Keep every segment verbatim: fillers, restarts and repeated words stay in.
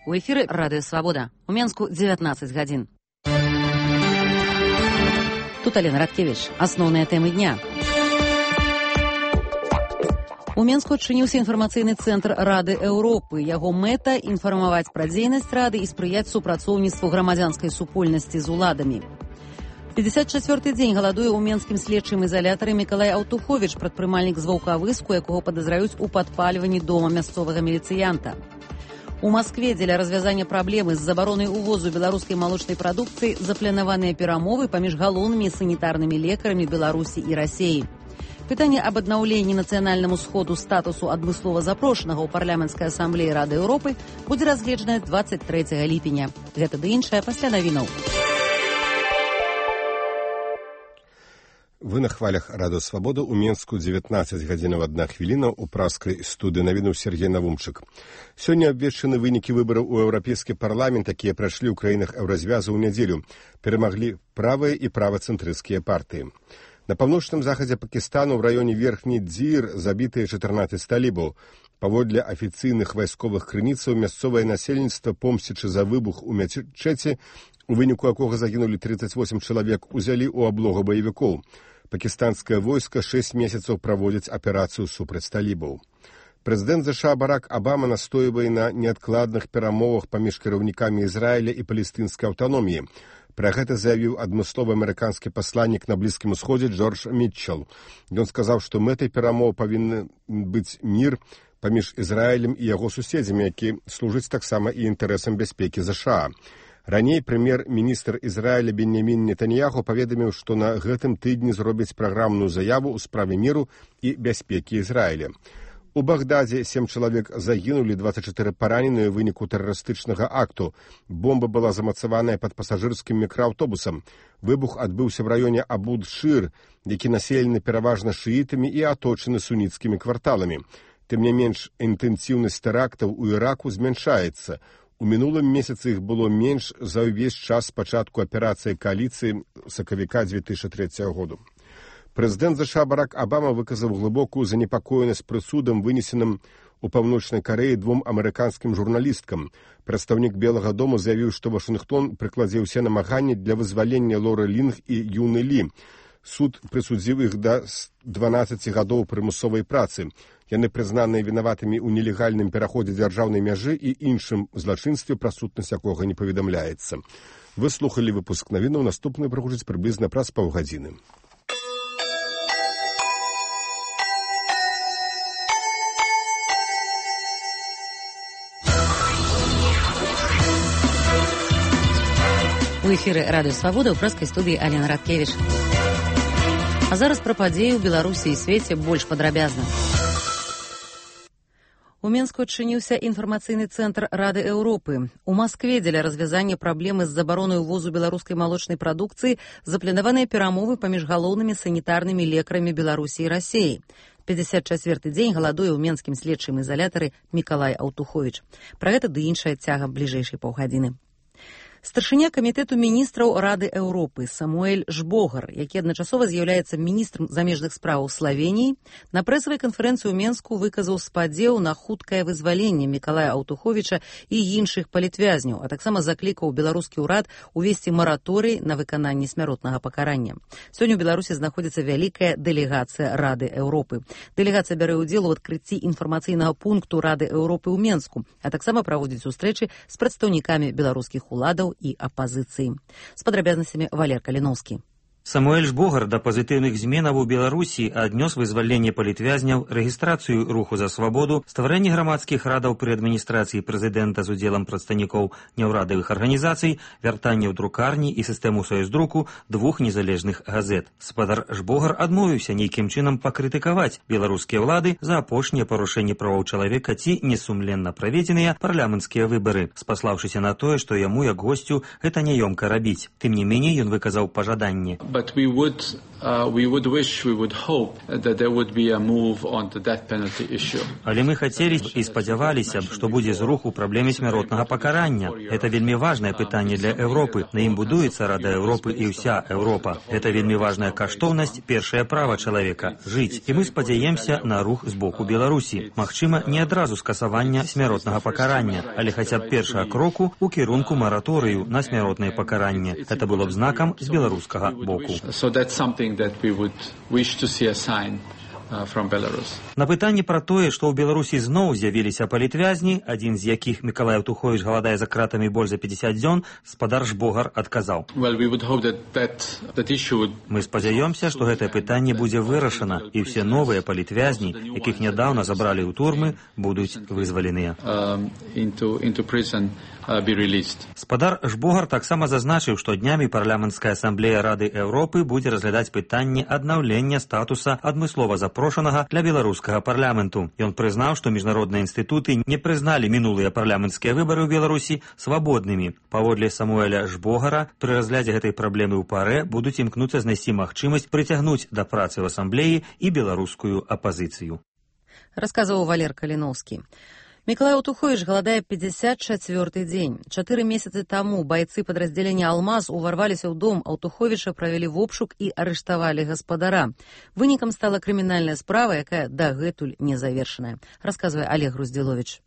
У эфіры Радыё Свабода. У Менску дзевятнаццаць гадзін. Тут Алена Радкевіч. Асноўныя тэмы дня. У Менску адчыніўся інфармацыйны цэнтр Рады Еўропы. Яго мэта – інфармаваць пра дзейнасць Рады і спрыяць супрацоўніцтву грамадзянскай супольнасці з уладамі. пятьдесят чвёрты дзень галадуе ў менскім следчым ізалятары Мікалай Аўтуховіч, прадпрымальнік з Ваўкавыску, якога падазраюць у падпальванні дома мясцовага міліцыянта. У Маскве дзеля развязання праблемы з забаронай увозу беларускай малочнай прадукцыі запланаваныя перамовы паміж галоўнымі санітарнымі лекарамі Беларусі і Расіі. Пытанне аб аднаўленні нацыянальнаму сходу статусу адмыслова запрошанага ў парламенцкай асамблеі Рады Еўропы будзе разгледжанае дваццаць трэцяга ліпеня. Гэта ды іншае пасля навінаў. Вы на хвалях Радыё Свабода. У Менску дзевятнаццаць гадзінаў адна хвіліна. У праскай студыі навінуў Сергей Навумчык. Сёння абвешчаны вынікі выбараў у Еўрапейскі парламент, якія прайшлі ў краінах еўразвязу ў нядзелю. Перамаглі правыя і правацэнтрысцкія партыі. На паўночным захадзе Пакістану ў раёне Верхні Дзір забітыя чатырнаццаць талібаў. Паводле афіцыйных вайсковых крыніцаў, мясцовае насельніцтва, помсцячы за выбух у мячэці, у выніку якога загінулі трыццаць восем чалавек, узялі ў аблогу баевікоў. Пакістанскае войска шэсць месяцаў праводзіць аперацыю супраць талібаў. Прэзідэнт ЗША Барак Абама настойвае на неадкладных перамовах паміж кіраўнікамі Ізраіля і палестынскай аўтаноміі. Пра гэта заявіў адмысловы амерыканскі пасланнік на Блізкім Усходзе Джордж Мітчел. Ён сказаў, што мэтай перамоў павінен быць мір паміж Ізраілем і яго суседзямі, які служыць таксама і інтарэсам бяспекі ЗША. Раней прэм'ер-міністр Ізраіля Беньямін Нетаньяху паведаміў, што на гэтым тыдні зробяць праграмную заяву ў справе міру і бяспекі Ізраіля. У Багдадзе сем чалавек загінулі, дваццаць чатыры параненыя ў выніку тэрарыстычнага акту. Бомба была замацаваная пад пасажырскім мікрааўтобусам. Выбух адбыўся ў раёне Абуд-Шыр, які населены пераважна шыітамі і аточаны суніцкімі кварталамі. Тым не менш, інтэнсіўнасць тэрактаў у Іраку змяншаецца. У мінулым месяцы іх было менш за ўвесь час пачатку аперацыі кааліцыі сакавіка дзве тысячы трэцяга году. Прэзідэнт ЗША Барак Абама выказаў глыбокую занепакоенасць прысудам, вынесеным у Паўночнай Карэі двум амерыканскім журналісткам. Прадстаўнік Белага дому заявіў, што Вашынгтон прыкладзе ўсе намаганні для вызвалення Лоры Лінг і Юны Лі. Суд прысудзіў іх да дванаццаці гадоў прымусовай працы. Яны прызнаныя вінаватымі ў нелегальным пераходзе дзяржаўнай мяжы і іншым злачынстве, пра сутнасць якога не паведамляецца. Вы слухалі выпуск навінаў, наступны прагучыць прыблізна праз паўгадзіны. У эфіры Радыё Свабода, ў праскай студыі Алена Радкевіч. А зараз пра падзеі ў Беларусі і свеце больш падрабязна. У Менску адчыніўся інфармацыйны цэнтр Рады Еўропы. У Маскве дзеля развязання праблемы з забаронай увозу беларускай малочнай прадукцыі запланаваныя перамовы паміж галоўнымі санітарнымі лекарамі Беларусі і Расіі. пятьдесят чвёрты дзень галадуе ў менскім следчым ізалятары Мікалай Аўтуховіч. Пра гэта ды іншая цяга бліжэйшай паўгадзіны. Старшыня камітэту міністраў Рады Еўропы Самуэль Жбогар, які адначасова з'яўляецца міністрам замежных спраў Славеніі, на прэсавай канферэнцыі ў Менску выказаў спадзеў на хуткае вызваленне Мікалая Аўтуховіча і іншых палітвязняў, а таксама заклікаў беларускі ўрад увесці мараторый на выкананне смяротнага пакарання. Сёння ў Беларусі знаходзіцца вялікая дэлегацыя Рады Еўропы. Дэлегацыя бярэ ўдзел у адкрыцці інфармацыйнага пункту Рады Еўропы ў Менску, а таксама праводзіць сустрэчы з прадстаўнікамі беларускіх уладаў і апазіцыі. З падрабязнасцямі Валер Каліноўскі. Самуэль Жбогар да пазітыўных зменаў у Беларусі аднёс вызваленне палітвязняў, рэгістрацыю руху за свабоду, стварэнне грамадскіх радаў пры адміністрацыі прэзідэнта з удзелам прадстаўнікоў няўрадавых арганізацый, вяртанне ў друкарні і сістэму саюздруку двух незалежных газет. Спадар Жбогар адмовіўся нейкім чынам пакрытыкаваць беларускія ўлады за апошнія парушэнні правоў чалавека ці несумленна праведзеныя парламенцкія выбары, спаслаўшыся на тое, што яму, як госцю, гэта няёмка рабіць. Тым не меней, ён выказаў пажаданне. But we would Але мы хацелі б і спадзяваліся б, што будзе зрух у праблеме смяротнага пакарання. Это вельмі важнае пытанне для Еўропы. На ім будуецца Рада Еўропы і ўся Еўропа. Это вельмі важная каштоўнасць, першае права чалавека – жыць. І мы спадзяемся на рух з боку Беларусі. Магчыма, не адразу скасавання смяротнага пакарання, але хаця б першага кроку ў кірунку мараторыю на смяротнае пакаранне. Это было б знакам з беларускага боку. На пытанне пра тое, што ў Беларусі зноў з'явіліся палітвязні, адзін з якіх, Мікалай Аўтуховіч, галадае за кратамі больш за пятьдесят дзён, спадар Жбогар адказаў. Мы спадзяёмся, што гэтае пытанне будзе вырашана, і ўсе новыя палітвязні, якіх нядаўна забралі ў турмы, будуць вызваленыя. Спадар Жбогар таксама зазначыў, што днямі парламенцкая асамблея Рады Еўропы будзе разглядаць пытанне аднаўлення статуса адмыслова запрошанага для беларускага парламенту. Ён прызнаў, што міжнародныя інстытуты не прызналі мінулыя парламенцкія выбары ў Беларусі свабоднымі. Паводле Самуэля Жбогара, пры разглядзе гэтай праблемы ў парэ будуць імкнуцца знайсці магчымасць прыцягнуць да працы ў асамблеі і беларускую апазіцыю. Расказваў Валер Каліноўскі. Мікалай Аўтуховіч галадае пятьдесят четвёрты дзень. Чатыры месяцы таму байцы падраздзялення «Алмаз» уварваліся ў дом Аўтуховіча, правялі вобшук і арыштавалі гаспадара. Вынікам стала крымінальная справа, якая дагэтуль не завершаная. Расказвае Олег Груздзіловіч.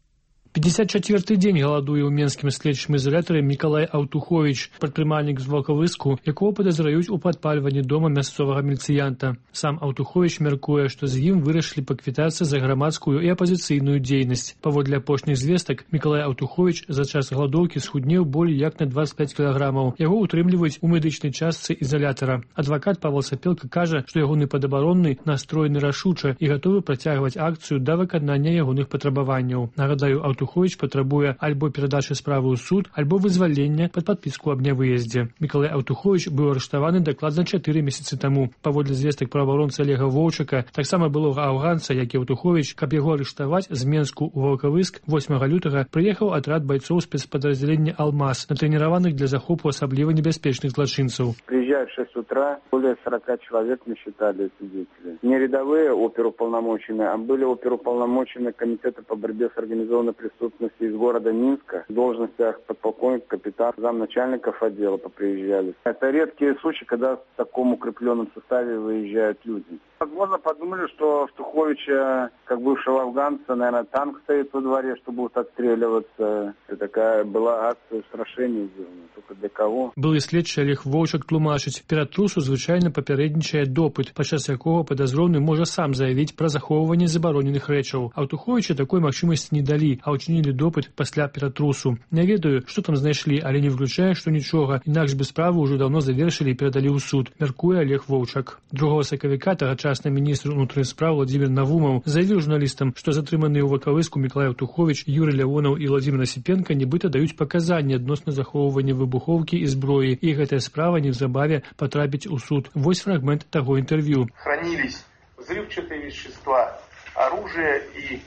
пятьдесят четвёрты дзень галадуе ў менскім следчым ізалятары Мікалай Аўтуховіч, прадпрымальнік з Волковыску, якого падазраюць у падпальванні дома мясцовага міліцыянта. Сам Аўтуховіч мяркуе, што з ім вырашылі паквітацца за грамадскую і апазіцыйную дзейнасць. Паводле апошніх звестак, Мікалай Аўтуховіч за час галадоўкі схуднеў болей як на двадцать пять кілаграмаў. Яго ўтрымліваюць у медычнай частцы ізалятара. Адвакат Павел Сапелка кажа, што ягоны падабаронны настроены рашуча і гатовы працягваць акцыю да выканання ягоных патрабаванняў. Нагадаю, Аўтуховіч патрабуе альбо перадачы справы ў суд, альбо вызвалення пад падпіску аб нявыездзе. Мікалай Аўтуховіч быў арыштаваны дакладна чатыры месяцы таму. Паводле звестак праваабаронцы Олега Воўчака, таксама былога афганца, як і Аўтуховіч, каб яго арыштаваць, з Менску ў Волковыск восьмага лютага прыехаў атрад байцоў спецпадраздзялення «Алмаз», натрэніраваных для захопу асабліва небяспечных злачынцаў. Приезжают в шесть утра, более сорока человек мы считали свидетели. Не рядовые оперуполномоченные, а были оперуполномоченные комитета по борьбе с организованной преступностью из города Минска. В должностях подполковник, капитан, замначальников отдела поприезжали. Это редкие случаи, когда в таком укрепленном составе выезжают люди. Возможно, подумали, что Автуховича, как бывшего афганца, наверное, танк стоит во дворе, что будут отстреливаться. Это такая была акция устрашения сделана. Только для кого? Былы следчы Олег Воўчак тлумачыць, перад трусу звычайна папярэднічае допыт, падчас якога падазроўны можа сам заявіць пра захоўванне забароненых рэчаў. Аўтуховіча такой магчымасці не далі, а ўчынілі допыт пасля ператрусу. Не ведаю, што там знайшлі, але не выключае, што нічога, інакш бы справу ўжо даўно завершылі і перадалі ў суд, мяркуе Олег Воўчак. Другога сакавіка тагачасны міністр унутраных спраў Владзімір Навумаў заявіў журналістам, што затрыманыя ў Волковыску Мікалай Аўтуховіч, Юрый Лявонаў і Владзімір Асіпенка нібыта даюць паказанні адносна захоўвання выбухоўкі і зброі, і гэтая справа неўзабаве потрапіць у суд. Вось фрагмент таго интервью. Хранились взрывчатые вещества, оружие и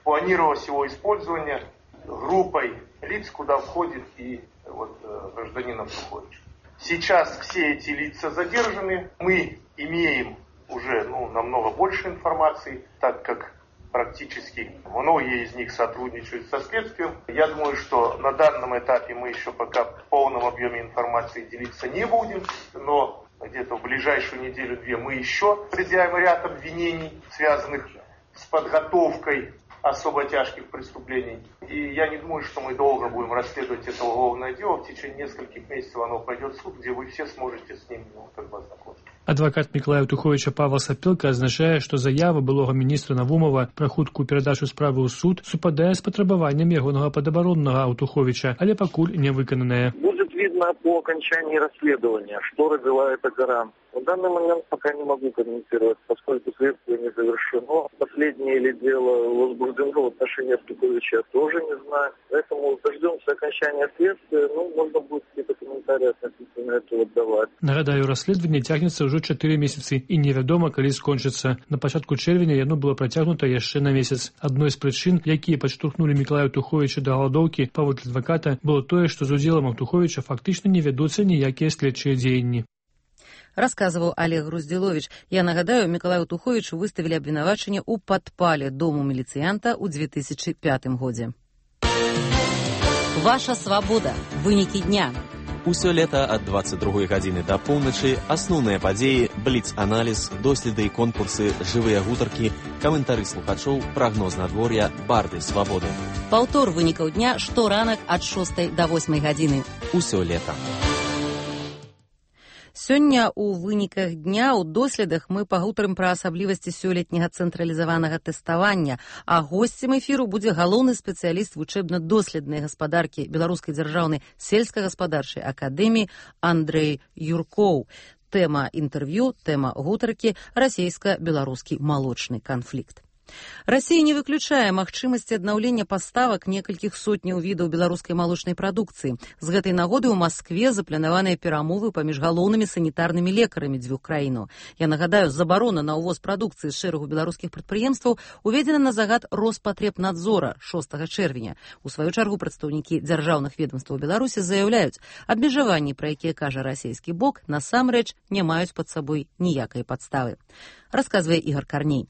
планировалось его использование группой лиц, куда входит и вот, гражданин Автухович. Сейчас все эти лица задержаны. Мы имеем уже ну, намного больше информации, так как практически многие из них сотрудничают со следствием. Я думаю, что на данном этапе мы еще пока в полном объеме информации делиться не будем, но где-то в ближайшую неделю-две мы еще предъявим ряд обвинений, связанных с подготовкой особо тяжких преступлений. И я не думаю, что мы долго будем расследовать это уголовное дело. В течение нескольких месяцев оно пойдет в суд, где вы все сможете с ним ну, как бы ознакомиться. Адвакат Мікалая Аўтуховіча Павел Сапелка азначае, што заява былога міністра Навумова пра хуткую перадачу справы ў суд супадае з патрабаваннем ягонага падабароннага Аўтуховіча, але пакуль не выкананае. Будет видно по окончании расследования, что родила эта гора. В данный момент пока не могу комментировать, поскольку следствие не завершено. Последнее ли дело возбуждено в отношении Автуховича, я тоже не знаю. Поэтому дождемся окончания следствия, ну, можно будет какие-то комментарии относительно этого давать. Нагадаю, расследаванне цягнецца ўжо чатыры месяцы і невядома, калі скончыцца. На пачатку чэрвеня яно было працягнута яшчэ на месяц. Адной з прычын, якія падштурхнулі Мікалая Аўтуховіча да галадоўкі, паводле адваката, было тое, што з удзелам Аўтуховіча фактычна не вядуцца ніякія следчыя дзеянні. расказваў Олег Груздзіловіч. Я нагадаю, Мікалаю Аўтуховічу выставілі абвінавачанне ў падпале дому міліцыянта ў две тысячы пятым годзе. Ваша свабода. Вынікі дня. Усё лета ад двадцать другой гадзіны да поўначы асноўныя падзеі, бліц-аналіз, доследы і конкурсы, жывыя гутаркі, каментары слухачоў, прагноз надвор'я, барды свабоды. Паўтор вынікаў дня шторанак ад шостай да восьмай гадзіны. Усё лета. Сёння ў выніках дня ў доследах мы пагутарым пра асаблівасці сёлетняга цэнтралізаванага тэставання, а госцем эфіру будзе галоўны спецыяліст вучэбна-доследнай гаспадаркі Беларускай дзяржаўнай сельскагаспадарчай акадэміі Андрэй Юркоў. Тэма інтэрв'ю, тэма гутаркі расійска-беларускі малочны канфлікт. Расія не выключае магчымасці аднаўлення паставак некалькіх сотняў відаў беларускай малочнай прадукцыі. З гэтай нагоды ў Маскве запланаваныя перамовы паміж галоўнымі санітарнымі лекарамі дзвюх краінаў. Я нагадаю, забарона на ўвоз прадукцыі з шэрагу беларускіх прадпрыемстваў уведзена на загад Роспатребнадзора шостага чэрвеня. У сваю чаргу прадстаўнікі дзяржаўных ведомстваў Беларусі заяўляюць, абмежаванні, пра якія кажа расійскі бок, насамрэч не маюць пад сабой ніякай падставы. Расказвае Ігор Карней.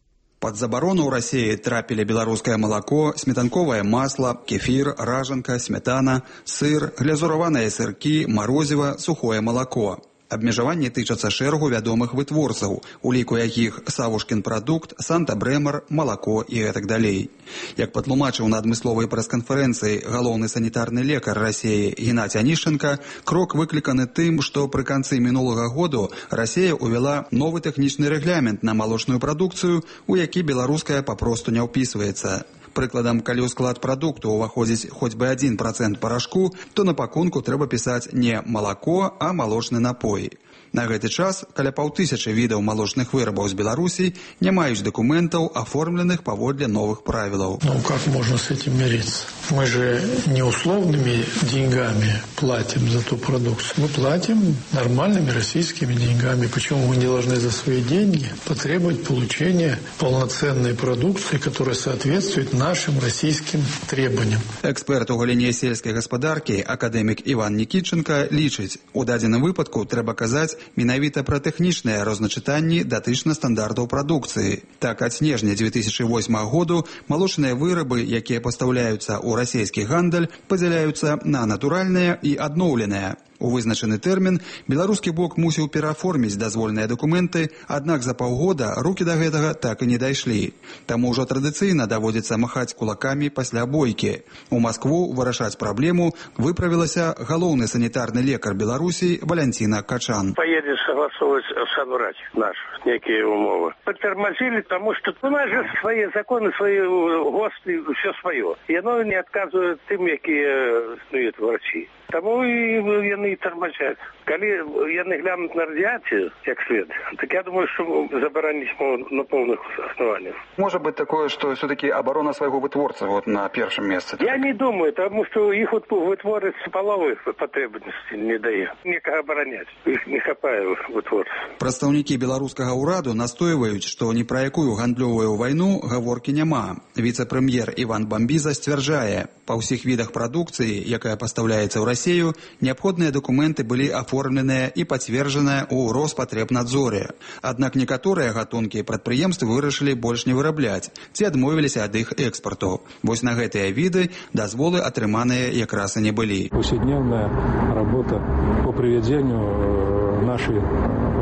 Под забарону ў Расіі трапілі беларускае малако, сметанковае масла, кефір, ражанка, сметана, сыр, глязураваныя сыркі, марозіва, сухое малако. Абмежаванні тычацца шэрагу вядомых вытворцаў, у ліку якіх Савушкін прадукт, Санта-Брэмар, малако і гэтак далей. Як патлумачыў на адмысловай прэс-канферэнцыі галоўны санітарны лекар Расіі Геннадзь Анішченка, крок выкліканы тым, што пры канцы мінулага году Расія ўвяла новы тэхнічны рэгламент на малочную прадукцыю, у які беларуская папросту не ўпісваецца. Прыкладам, калі ў склад прадукту ўваходзіць хоць бы адзін працэнт парашку, то на пакунку трэба пісаць не малако, а малочны напой. На гэты час каля паўтысячы відаў малочных вырабаў з Беларусі не маюць документаў, оформленных паводле новых правілаў. Ну, как можно с этим мириться? Мы же не условными деньгами платим за ту продукцию. Мы платим нормальными российскими деньгами. Почему мы не должны за свои деньги потребовать получения полноценной продукции, которая соответствует нашим российским требованиям? Эксперт у галіне сельскай гаспадаркі, акадэмік Іван Нікітченка, лічыць, у дадзеным выпадку трэба казаць менавіта пра тэхнічныя розначытанні датычна стандартаў прадукцыі. Так, ад снежня две тысячи восьмага году малочныя вырабы, якія пастаўляюцца ў расійскі гандаль, падзяляюцца на натуральныя і адноўленыя. У вызначаны тэрмін беларускі бок мусіў перааформіць дазвольныя дакументы, аднак за паўгода рукі да гэтага так і не дайшлі. Таму ўжо традыцыйна даводзіцца махаць кулакамі пасля бойкі. У Маскву вырашаць праблему выправілася галоўны санітарны лекар Беларусі Валянціна Качан. Поедет согласовывать собрать наши некие умовы. Потормозили, потому что у нас же свои законы, свои ГОСТы, все свое. И оно не отказывает тем, якія стоят в России. Тому і яны тормозят. Коли яны глянут на радиацию, как след, так я думаю, что заборонить могут на полных основаниях. Может быть такое, что все-таки оборона своего вытворца вот на первом месте? Я не думаю, потому что их вот вытворец половых потребностей не дает. Некого оборонять. Их не хапае вытворц. Прадстаўнікі беларускага ўраду настойваюць, што ні пра якую гандлёвую вайну гаворкі няма. Віцэ-прэм'ер Іван Бамбіза сцвярджае, па ўсіх відах прадукцыі, якая пастаўляецца ў Расію, неабходныя дакументы былі аформленыя і пацверджаныя ў Роспатребнадзоре. Аднак некаторыя гатункі прадпрыемствы вырашылі больш не вырабляць, ці адмовіліся ад іх экспарту. Вось на гэтыя віды дазволы атрыманыя якраз і не былі. Повседневная работа по приведению наших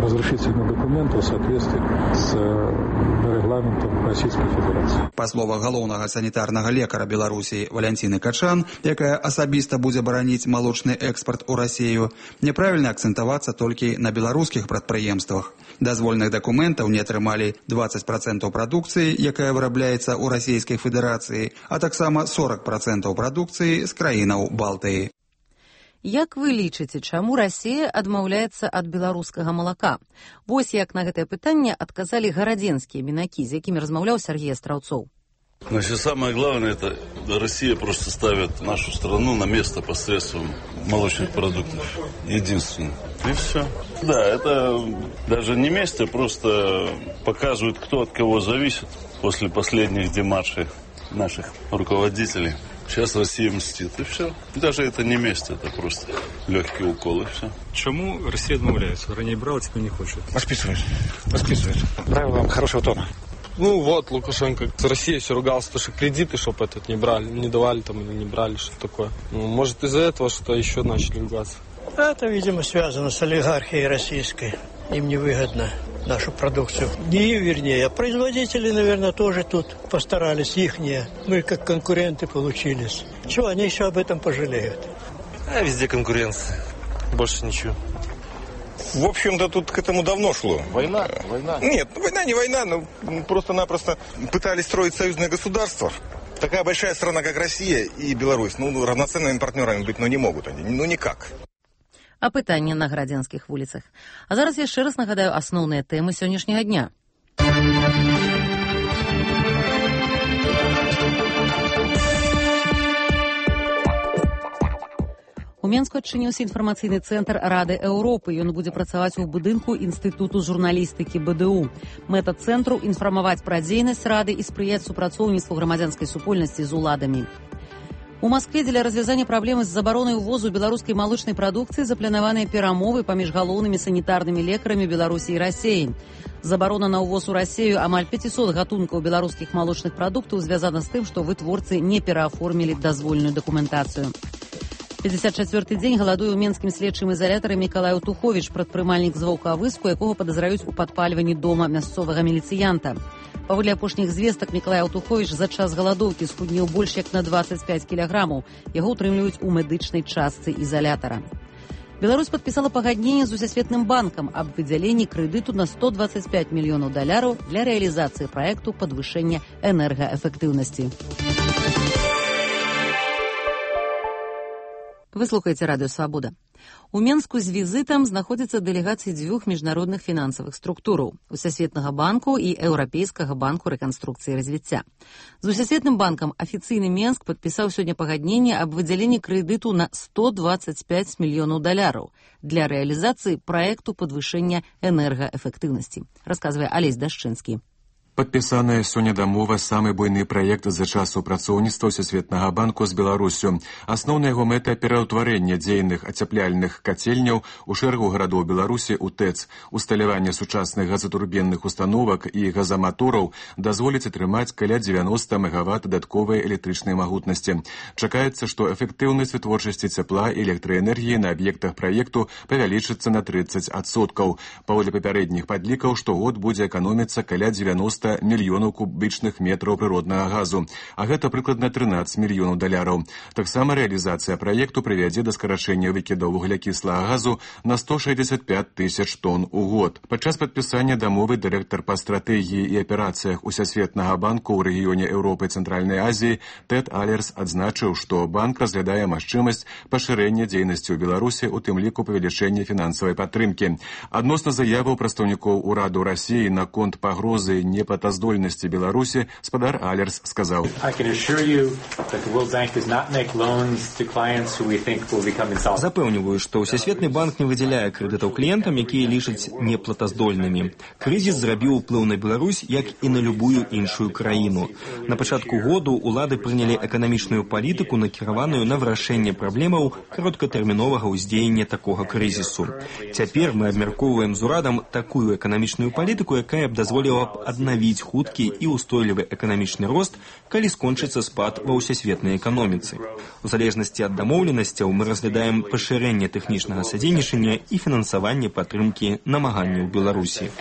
разрешительных документов в соответствии с регламентом Российской Федерации. Па словах галоўнага санітарнага лекара Беларусі Валянціны Качан, якая асабіста будзе бараніць малочны экспарт у Расію, няправільна акцэнтавацца толькі на беларускіх прадпрыемствах. Дазвольных дакументаў не атрымалі двадцать процентов прадукцыі, якая вырабляецца ў Расійскай Федэрацыі, а таксама сорок процентов прадукцыі з краінаў Балтыі. Як вы лічыце, чаму Расія адмаўляецца ад беларускага малака? Вось як на гэтае пытанне адказалі гарадзенскія мінакі, з якімі размаўляў Сергей Астраўцоў. Значит, самое главное, это Россия просто ставит нашу страну на место посредством молочных продуктов. Единственно. И все. Да, это даже не место, просто показывает, кто от кого зависит после последних демаршей наших руководителей. Сейчас Россия мстит, и все. Даже это не месть, это просто легкий укол, и все. Чому Росія відмовляється? Раніше брала, теперь не хочет. Восписывает. Восписывает. Правила хорошего тона. Ну вот, Лукашенко с Россией все ругался, что кредиты, чтобы этот не брали, не давали там или не брали, что такое. Ну, может из-за этого что еще начали ругаться. Это, видимо, связано с олигархией российской. Им невыгодно нашу продукцию. Не им, вернее, а производители, наверное, тоже тут постарались, ихние. Мы как конкуренты получились. Чего, они еще об этом пожалеют? А везде конкуренция. Больше ничего. В общем-то, тут к этому давно шло. Война? Война? Нет, война не война, но просто-напросто пытались строить союзное государство. Такая большая страна, как Россия и Беларусь, ну, равноценными партнерами быть, ну, не могут они, ну, никак. Апытанне на градзянскіх вуліцах. А зараз яшчэ раз нагадаю асноўныя тэмы сённяшняга дня. У Менску адчыніўся інфармацыйны цэнтр Рады Еўропы. Ён будзе працаваць у будынку Інстытуту журналістыкі бэ дэ у. Мэта цэнтру – інфармаваць пра дзейнасць Рады і спрыяць супрацоўніцтву грамадзянскай супольнасці з уладамі. У Маскве дзеля развязання праблемы з забаронай увозу беларускай малочнай прадукцыі запланаваныя перамовы паміж галоўнымі санітарнымі лекарамі Беларусі і Расіі. Забарона на ўвоз у Расію амаль пяцьсот гатункаў беларускіх малочных прадуктаў звязана з тым, што вытворцы не перааформілі дазвольную дакументацыю. пятьдесят четвёрты дзень галадуе ў менскім следчым ізалятары Мікалай Аўтуховіч, прадпрымальнік з Ваўкавыску, якога падазраюць у падпальванні дома мясцовага міліцыянта. Паводле апошніх звестак, Мікалай Аўтуховіч за час галадоўкі схуднеў больш як на двадцать пять кілаграмаў. Яго ўтрымліваюць у медычнай частцы ізалятара. Беларусь падпісала пагадненне з Усесветным банкам аб выдзяленні крэдыту на сто двадцать пять мільёнаў даляраў для рэалізацыі праекту падвышэння энергаэфектыўнасці. Вы слухаеце радыё «Свабода». У Менску з візітам знаходзяцца дэлегацыі дзвюх міжнародных фінансавых структураў – Усесветнага банку і Еўрапейскага банку рэканструкцыі і развіцця. З Усесветным банкам афіцыйны Менск падпісаў сёння пагадненне аб выдзяленні крэдыту на сто двадцать пять мільёнаў даляраў для рэалізацыі праекту падвышэння энергаэфектыўнасці, расказвае Алесь Дашчынскі. Падпісаная сёння дамова – самы буйны праект за час супрацоўніцтва Всесветнага банку з Беларусю. Асноўная яго мэта – пераўтварэнне дзейных ацяпляльных кацельняў у шэрагу гарадоў Беларусі ў ТЭЦ. Усталяванне сучасных газатурбінных установак і газаматораў дазволіць атрымаць каля дзевяноста мегаватт дадатковай электрычнай магутнасці. Чакаецца, што эфектыўнасць вытворчасці цяпла і электраэнергіі на аб'ектах праекту павялічыцца на тридцать адсоткаў. Паводле папярэдніх падлікаў, штогод будзе эканоміцца каля дзевяноста мільёнаў кубічных метраў прыроднага газу, а гэта прыкладна трынаццаць мільёнаў даляраў. Таксама рэалізацыя праекту прывядзе да скарачэння выкідаў вуглякіслага газу на сто шэсцьдзесят пять тысяч тонн у год. Падчас падпісання дамовы дырэктар па стратэгіі і аперацыях Усесветнага банку ў рэгіёне Еўропы і Цэнтральнай Азіі Тэд Алерс адзначыў, што банк разглядае магчымасць пашырэння дзейнасці ў Беларусі, у тым ліку павелічэння фінансавай падтрымкі. Адносна заяваў прадстаўнікоў ураду Расіі наконт пагрозы не платаздольнасці Беларусі, спадар Алерс сказаў: Запэўніваю, што Всесветны банк не выдзяляе крэдытаў кліентам, якія лічаць неплатаздольнымі. Крызіс зрабіў уплыў на Беларусь, як і на любую іншую краіну. На пачатку году ўлады прынялі эканамічную палітыку, накіраваную на вырашэнне праблемаў кароткатэрміновага ўздзеяння такога крызісу. Цяпер мы абмяркоўваем з урадам такую эканамічную палітыку, якая б дазволіла б аднавіць хуткі і ўстойлівы эканамічны рост, калі скончыцца спад ва ўсесветнай эканоміцы. У залежнасці ад дамоўленасцяў мы разглядаем пашырэнне тэхнічнага садзейнічання і фінансаванне падтрымкі намаганняў Беларусі.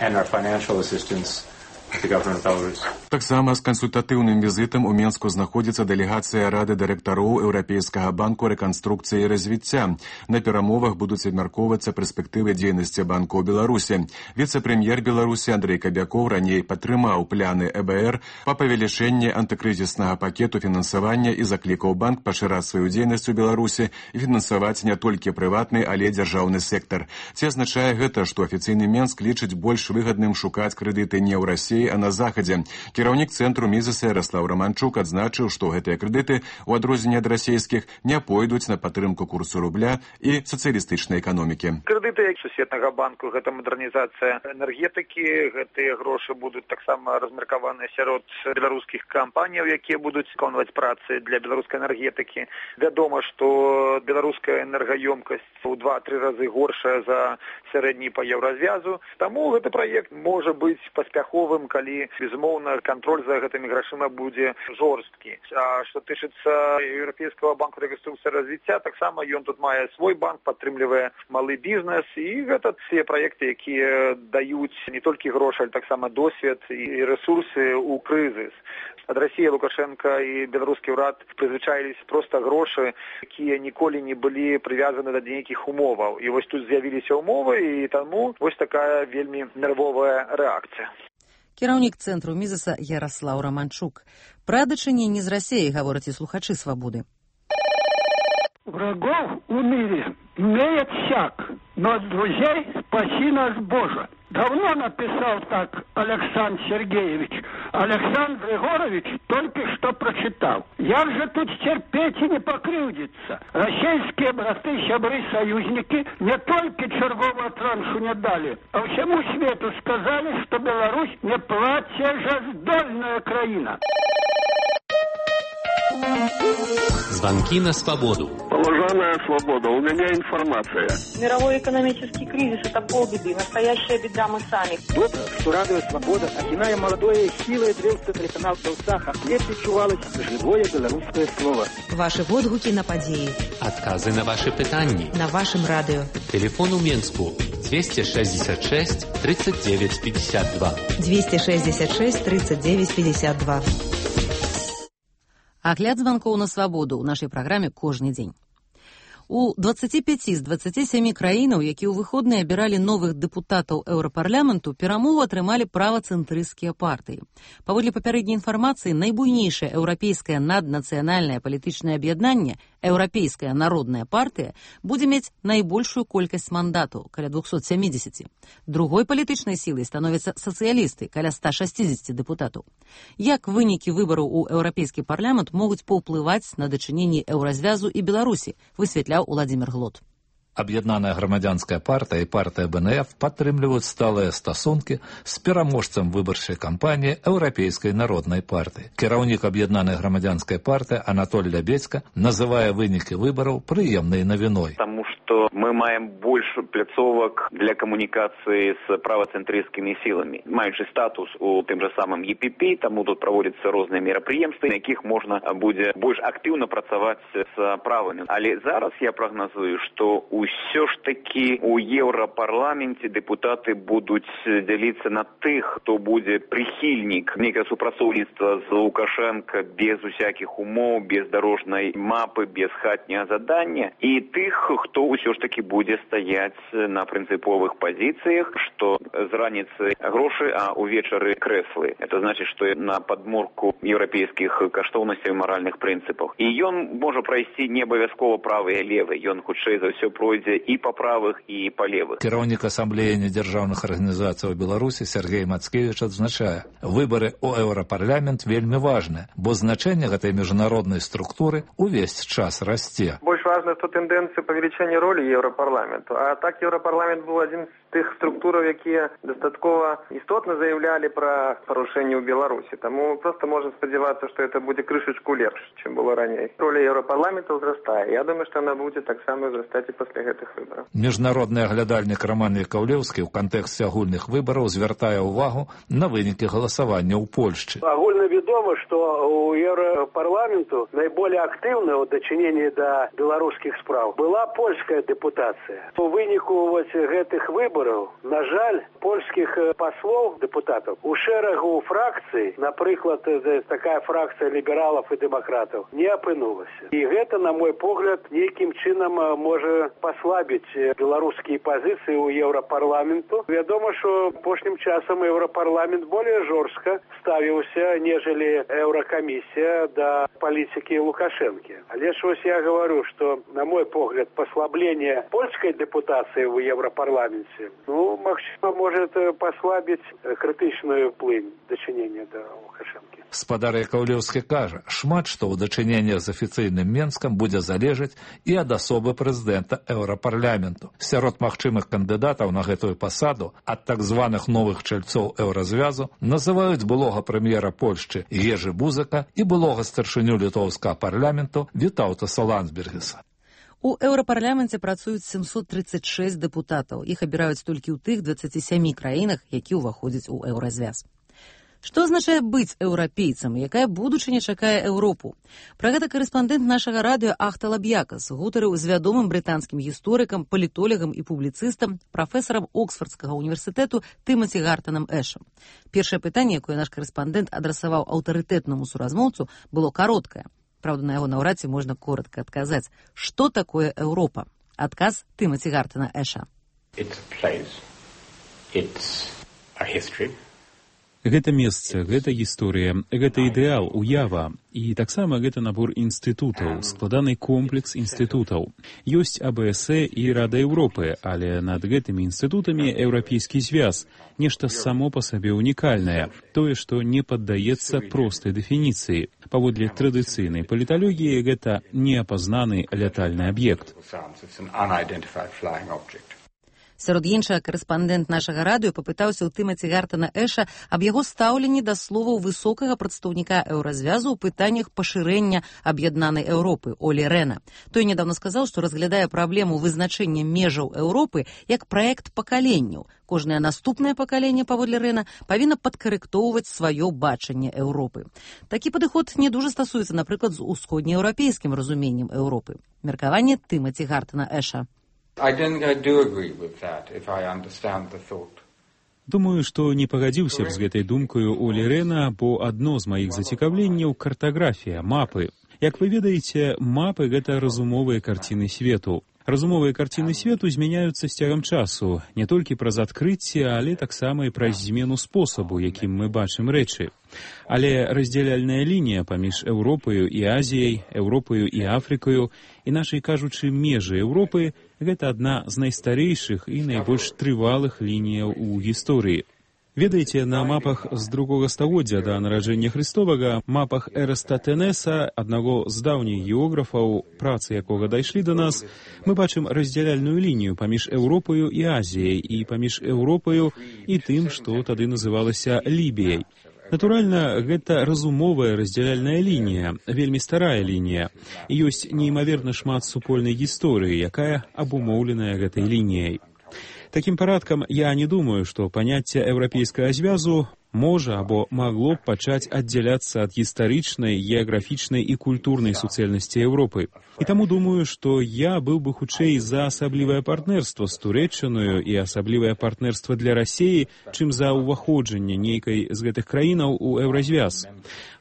Таксама з кансультатыўным візітам у Менску знаходзіцца дэлегацыя Рады дырэктароў Еўрапейскага банку рэканструкцыі і развіцця. На перамовах будуць абмяркоўвацца перспектывы дзейнасці банку ў Беларусі. Віцэ-прэм'ер Беларусі Андрэй Кабякоў раней падтрымаў пляны э бэ эр па павелічэнні антыкрызіснага пакету фінансавання і заклікаў банк пашыраць сваю дзейнасць у Беларусі і фінансаваць не толькі прыватны, але дзяржаўны сектар. Ці азначае гэта, што афіцыйны Менск лічыць больш выгадным шукаць крэдыты не ў Расіі, Расіі, а на захадзе. Кіраўнік цэнтру Мізеса Яраслаў Раманчук адзначыў, што гэтыя крэдыты, у адрозненне ад расійскіх, не пойдуць на падтрымку курсу рубля і сацыялістычнай эканомікі. Крэдыты Сусветнага банку – гэта мадэрнізацыя энергетыкі, гэтыя грошы будуць таксама размеркаваныя сярод беларускіх кампаніяў, якія будуць выконваць працы для беларускай энергетыкі. Вядома, што беларуская энергаёмкасць у два-тры разы горшая за сярэдні па еўразвязу. Таму гэты праект можа быць паспяховым, калі, безумоўна, кантроль за гэтымі грашыма будзе жорсткі. А што тычыцца Еўрапейскага банку рэканструкцыі і развіцця, таксама ён тут мае свой банк, падтрымлівае малы бізнес, і гэта все праекты, якія даюць не толькі грошы, але таксама досвед і рэсурсы ў крызіс. Ад Расіі Лукашенка і беларускі ўрад прызвычаіліся проста грошы, якія ніколі не былі прывязаны да нейкіх умоваў. І вось тут з'явіліся умовы, і таму вось такая вельмі нервовая рэакцыя. Кіраўнік цэнтру Мізеса Яраслаў Раманчук. Пра дачыненні з Расіяй гавораць і слухачы «Свабоды». Врагов у мире имеет всяк, но от друзей спаси нас Боже. Давно написал так Александр Сергеевич. Александр Егорович только что прочитал. Як же тут терпеть и не покрывдиться? Российские браты, сябры, союзники не только чергового траншу не дали, а всему свету сказали, что Беларусь не платежездольная краина. Звонки на свободу. Уважаемая свобода, у меня информация. Мировой экономический кризис – это полбеды. Настоящая беда мы сами. Добро, что радуя свобода, окиная молодое силой древца телеканал Белсаха, лепь чувалось живое белорусское слово. Ваши водгуки на подеи. Отказы на ваши пытанни. На вашем радио. Телефон у Менску двести шестьдесят шесть тридцать девять пятьдесят два. двести шестьдесят шесть тридцать девять пятьдесят два. Агляд званкоў на свабоду ў нашай праграме кожны дзень. У дваццаці пяці з дваццаці сямі краінаў, якія ў выходныя абіралі новых дэпутатаў еўрапарламенту, перамогу атрымалі правацэнтрысцкія партыі. Паводле папярэдняй інфармацыі, найбуйнейшае еўрапейскае наднацыянальнае палітычнае аб'яднанне, Еўрапейская народная партыя, будзе мець найбольшую колькасць мандатаў, каля двухсот сямідзесяці. Другой палітычнай сілай становяцца сацыялісты, каля ста шасцідзесяці дэпутатаў. Як вынікі выбараў у еўрапейскі парламент могуць паўплываць на дачыненні еўразвязу і Беларусі, высветляў Уладзімір Глот. Аб'яднаная грамадзянская партыя і партыя бэ эн эф падтрымліваюць сталыя стасункі з пераможцам выбарчай кампаніі Еўрапейскай народнай партыі. Кіраўнік аб'яднанай грамадзянскай партыі Анатоль Лябедзька называе вынікі выбараў прыемнай навіной. Таму што мы маем больш пляцовак для камунікацыі з правацэнтрысцкімі сіламі. Маючы статус у тым жа самым е пі пі, таму тут праводзяцца розныя мерапрыемствы, на якіх можна будзе больш актыўна працаваць з правымі. Але зараз я прагназую, што ўсё ж такі у еўрапарламенце дэпутаты будуць дзяліцца на тых, хто будзе прыхільнік нейкага супрацоўніцтва з Лукашенка без усякіх умоў, без дарожнай мапы, без хатняга задання, і тых, хто ўсё ж такі будзе стаяць на прынцыповых пазіцыях, што з раніцы грошы, а ўвечары крэслы. Это значит, што на падмурку еўрапейскіх каштоўнасцяў і маральных прынцыпах. І ён можа прайсці не абавязкова правы і левы, ён хутчэй за ўсё пройдзе і па правых, і па левых. Кіраўнік асамблеі недзяржаўных арганізацый у Беларусі Сергей Мацкевіч адзначае, выбары ў еўрапарламент вельмі важны, бо значэнне гэтай міжнароднай структуры увесь час расце. Больш важна, што тэндэнцыя павелічэння ролі еўрапарламенту. А так еўрапарламент быў адзін з тых структураў, якія дастаткова істотна заявлялі пра парушэнні ў Беларусі. Таму проста можна спадзявацца, што гэта будзе крышачку лепш, чым было раней. Роля еўрапарламента ўзрастае. Я думаю, што яна будзе таксама ўзрастаць і пасля гэтых выбараў. Міжнародны аглядальнік Роман Якаўлеўскі ў кантэксце агульных выбараў звяртае ўвагу на вынікі галасавання ў Польшчы. Агульна вядома, што у еўрапарламенту найболей актыўна ў дачыненні да беларускіх спраў была польская дэпутацыя. У выніку вось гэтых выбараў, на жаль, польскіх паслоў дэпутатаў у шэрагу фракцый, напрыклад, такая фракцыя лібералаў і дэмакратаў, не апынулася. І гэта, на мой погляд, нейкім чынам можа паслабіць беларускія пазіцыі ў еўрапарламенту. Вядома, што апошнім часам еўрапарламент болей жорстка ставіўся, нежели еўракамісія да палітыкі Лукашэнкі. Але ж вось я говорю, што, на мой погляд, паслабленне польскай дэпутацыі ў еўрапарламенце ну, магчыма, может послабить критичную плынь дачынення да Лукашэнкі. Спадар Якаўлеўскі кажа, шмат што ў дачыненнях з афіцыйным Менскам будзе залежаць і ад асобы прэзідэнта Еўрапарламенту. Сярод магчымых кандыдатаў на гэтую пасаду ад так званых новых чальцоў еўразвязу называюць былога прэм'ера Польшчы Ежы Бузака і былога старшыню літоўскага парламенту Вітаўтаса Ландсбергіса. У еўрапарламенце працуюць сямсот тридцать шесть дэпутатаў. Іх абіраюць толькі ў тых дваццаці сямі краінах, які ўваходзяць у еўразвяз. Што азначае быць еўрапейцам? Якая будучыня чакае Еўропу? Пра гэта корэспандэнт нашага радыё Ахта Лаб'якас гутарыў з вядомым брытанскім гісторыкам, палітолегам і публіцыстам, прафесарам Оксфордскага універсітэту Тымаці Гартанам Эшам. Першае пытанне, якое наш корэспандэнт адрасаваў аўтарытэтнаму суразмоўцу, было кароткае. Правда, на яго наўрад ці можна коротка адказаць. Што такое Еўропа? Адказ Тымаці Гартана Эша. It's a place. It's a history. Гэта месца, гэта гісторыя, гэта ідэал, уява. І таксама гэта набор інстытутаў, складаны комплекс інстытутаў. Ёсць А Б С і Рада Еўропы, але над гэтымі інстытутамі еўрапейскі звяз, нешта само па сабе унікальнае, тое, што не паддаецца простай дэфініцыі. Паводле традыцыйнай паліталогіі гэта неапазнаны лятальны аб'ект. Сярод іншага, корэспандэнт нашага радыё папытаўся ў Тымаці Гартана Эша аб яго стаўленні да словаў высокага прадстаўніка еўразвязу ў пытаннях пашырэння аб'яднанай Еўропы Олі Рэна. Той нядаўна сказаў, што разглядае праблему вызначэння межаў Еўропы як праект пакаленняў. Кожнае наступнае пакаленне, паводле Рэна, павінна падкарэктоўваць сваё бачанне Еўропы. Такі падыход не дужа стасуецца, напрыклад, з усходнееўрапейскім разуменнем Еўропы. Меркаванне Тымаці Гартана Эша. I don't, I do agree with that, if I understand the thought. Думаю, што не пагадзіўся б з гэтай думкаю Олі Рэна, бо адно з маіх зацікаўленняў картаграфія, мапы. Як вы ведаеце, мапы — гэта разумовыя карціны свету. Разумовыя карціны свету змяняюцца з цягам часу, не толькі праз адкрыцце, але таксама і праз змену спосабу, якім мы бачым рэчы. Але раздзяляльная лінія паміж Еўропаю і Азіяй, Еўропаю і Афрыкаю, іначай кажучы, межы Еўропы — гэта адна з найстарэйшых і найбольш трывалых лініяў у гісторыі. Ведаеце, на мапах з другога стагоддзя да нараджэння Хрыстовага, мапах Эрастатэнеса, аднаго з даўніх географаў, працы якога дайшлі да нас, мы бачым раздзяляльную лінію паміж Еўропаю і Азіяй і паміж Еўропаю і тым, што тады называлася Лібіяй. Натуральна, гэта разумовая раздзяляльная лінія, вельмі старая лінія. І ёсць неймаверна шмат супольнай гісторыі, якая абумоўленая гэтай лініяй. Такім парадкам, я не думаю, што паняцце еўрапейскага звязу можа або магло б пачаць аддзяляцца ад гістарычнай, геаграфічнай і культурнай суцэльнасці Еўропы. І таму думаю, што я быў бы хутчэй за асаблівае партнерства з Турэччынаю і асаблівае партнерства для Расіі, чым за ўваходжанне нейкай з гэтых краінаў у еўразвяз.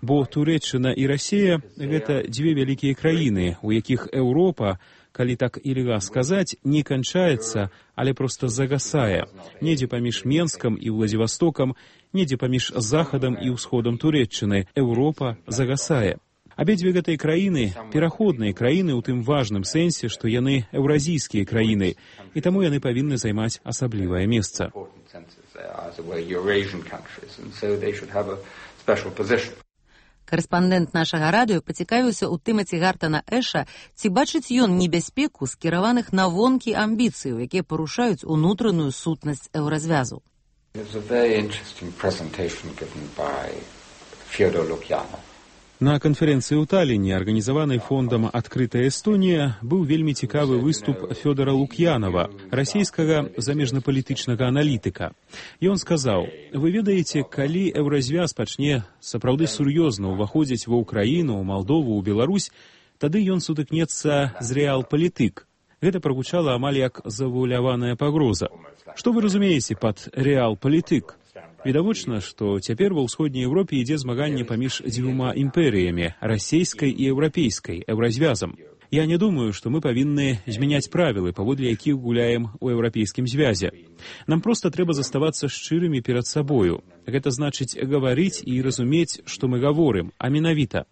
Бо Турэччына і Расія — гэта дзве вялікія краіны, у якіх Еўропа, калі так і льга сказаць, не канчаецца, але проста загасае. Недзе паміж Менскам і Владзівастокам, недзе паміж захадам і ўсходам Турэччыны Еўропа загасае. Абедзве гэтыя краіны — пераходныя краіны ў тым важным сэнсе, што яны еўразійскія краіны, і таму яны павінны займаць асаблівае месца. Корэспандэнт нашага радыё пацікавіўся ў Тымаці Гартана Эша, ці бачыць ён небяспеку скіраваных на вонкі амбіцыяў, якія парушаюць унутраную сутнасць еўразвязу. На канферэнцыі ў Таліне, арганізаванай фондам «Адкрытая Эстонія», быў вельмі цікавы выступ Фёдора Лук'янова, расійскага замежнапалітычнага аналітыка. Ён сказаў: «Вы ведаеце, калі еўразвяз пачне сапраўды сур'ёзна ўваходзіць ва Ўкраіну, ў Малдову, ў Беларусь, тады ён сутыкнецца з рэал-палітык». Гэта прагучала амаль як завуаляваная пагроза. Што вы разумееце пад рэал-палітык? Відавочна, што цяпер ва ўсходняй Еўропе ідзе змаганне паміж дзвюма імперыямі — расійскай і еўрапейскай, еўразвязам. Я не думаю, што мы павінны змяняць правілы, паводле якіх гуляем у еўрапейскім звязе. Нам проста трэба заставацца шчырымі перад сабою. Гэта значыць гаварыць і разумець, што мы гаворым, а менавіта.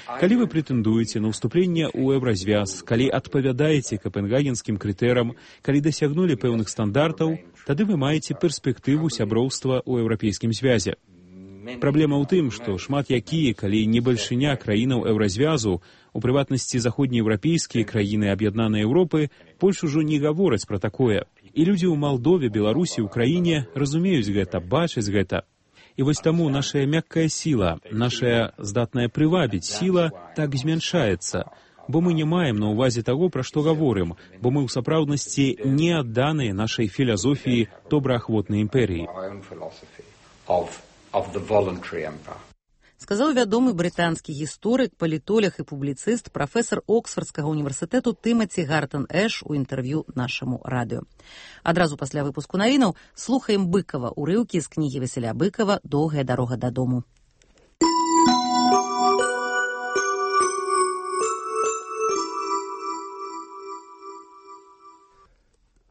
Калі вы прэтэндуеце на ўступленне ў еўразвяз, калі адпавядаеце капенгагенскім крытэрам, калі дасягнулі пэўных стандартаў, тады вы маеце перспектыву сяброўства ў еўрапейскім звязе. Праблема ў тым, што шмат якія, калі не бальшыня краінаў еўразвязу, у прыватнасці заходнееўрапейскія краіны аб'яднанай Еўропы, больш ужо не гавораць пра такое. І людзі ў Малдове, Беларусі, Украіне разумеюць гэта, бачаць гэта. І вось таму нашая мяккая сіла, нашая здатная прывабіць сіла так змяншаецца, бо мы не маем на ўвазе таго, пра што гаворым, бо мы ў сапраўднасці не адданыя нашай філазофіі добраахвотнай імперыі. Сказаў вядомы брытанскі гісторык, палітолог і публіцыст, прафесар Оксфордскага універсітэту Тымаці Гартан-Эш у інтэрв'ю нашаму радыё. Адразу пасля выпуску навінаў слухаем Быкова, урыўкі з кнігі Васіля Быкова «Доўгая дарога дадому».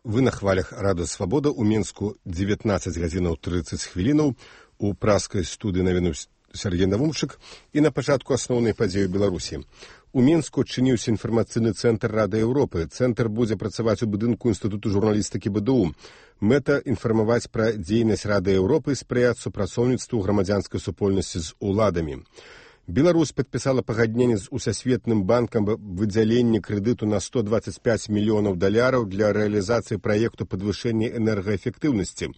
Вы на хвалях Радыё Свабода. У Мінску дзевятнаццаць гадзінаў трыццаць хвілінаў. У праскай студыі навіну Сергей Навумчык. І на пачатку асноўнай падзеі ў Беларусі. У Мінску адчыніўся інфармацыйны цэнтр Рады Еўропы. Цэнтр будзе працаваць у будынку Інстытуту журналістыкі бэ дэ у. Мэта інфармаваць пра дзейнасць Рады Еўропы і спрыяць супрацоўніцтву грамадзянскай супольнасці з уладамі. Беларусь падпісала пагадненне з Усесветным банкам аб выдзяленні крэдыту на сто дваццаць пяць мільёнаў даляраў для рэалізацыі праекту падвышэння энергаэфектыўнасці.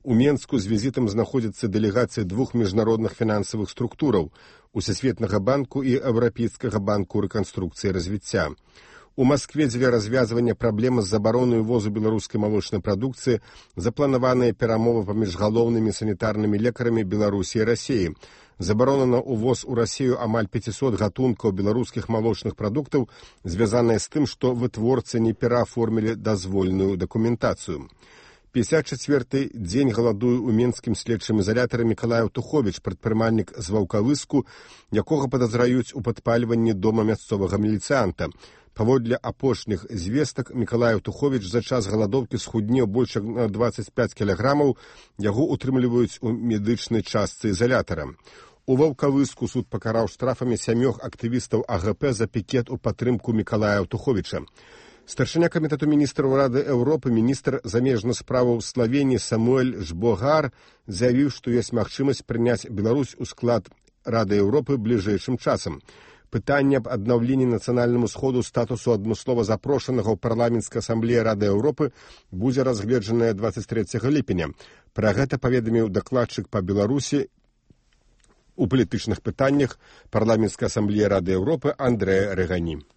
У Менску з візітам знаходзіцца дэлегацыя двух міжнародных фінансавых структураў – Усесветнага банку і Еўрапейскага банку рэканструкцыі і развіцця. У Маскве дзеля развязвання праблемы з забаронай увозу беларускай малочнай прадукцыі запланаваныя перамовы паміж галоўнымі санітарнымі лекарамі Беларусі і Расіі. Забарона на увоз у Расію амаль пяцісот гатункаў беларускіх малочных прадуктаў, звязаная з тым, што вытворцы не перааформілі дазвольную дакументацыю. пятьдесят четвёрты дзень галадуе ў менскім следчым ізалятары Мікалаеў Туховіч, прадпрымальнік з Ваўкавыску, якога падазраюць у падпальванні дома мясцовага міліцыянта. Паводле апошніх звестак, Мікалаеў Туховіч за час галадоўкі схуднеў больш як на дваццаць пяць кілаграмаў, яго утрымліваюць у медычнай частцы ізалятара. У Ваўкавыску суд пакараў штрафамі сямёх актывістаў а гэ пэ за пікет у падтрымку Мікалая Туховіча. Старшыня камітэту міністраў Рады Еўропы, міністр замежных справаў Славеніі Самуэль Жбогар заявіў, што ёсць магчымасць прыняць Беларусь у склад Рады Еўропы бліжэйшым часам. Пытанне аб аднаўленні нацыянальнаму сходу статусу адмыслова запрошанага ў парламенцкай асамблеі Рады Еўропы будзе разгледжанае дваццаць трэцяга ліпеня. Пра гэта паведаміў дакладчык па Беларусі у палітычных пытаннях парламенцкай асамблеі Рады Еўропы Андрэй Рэгані.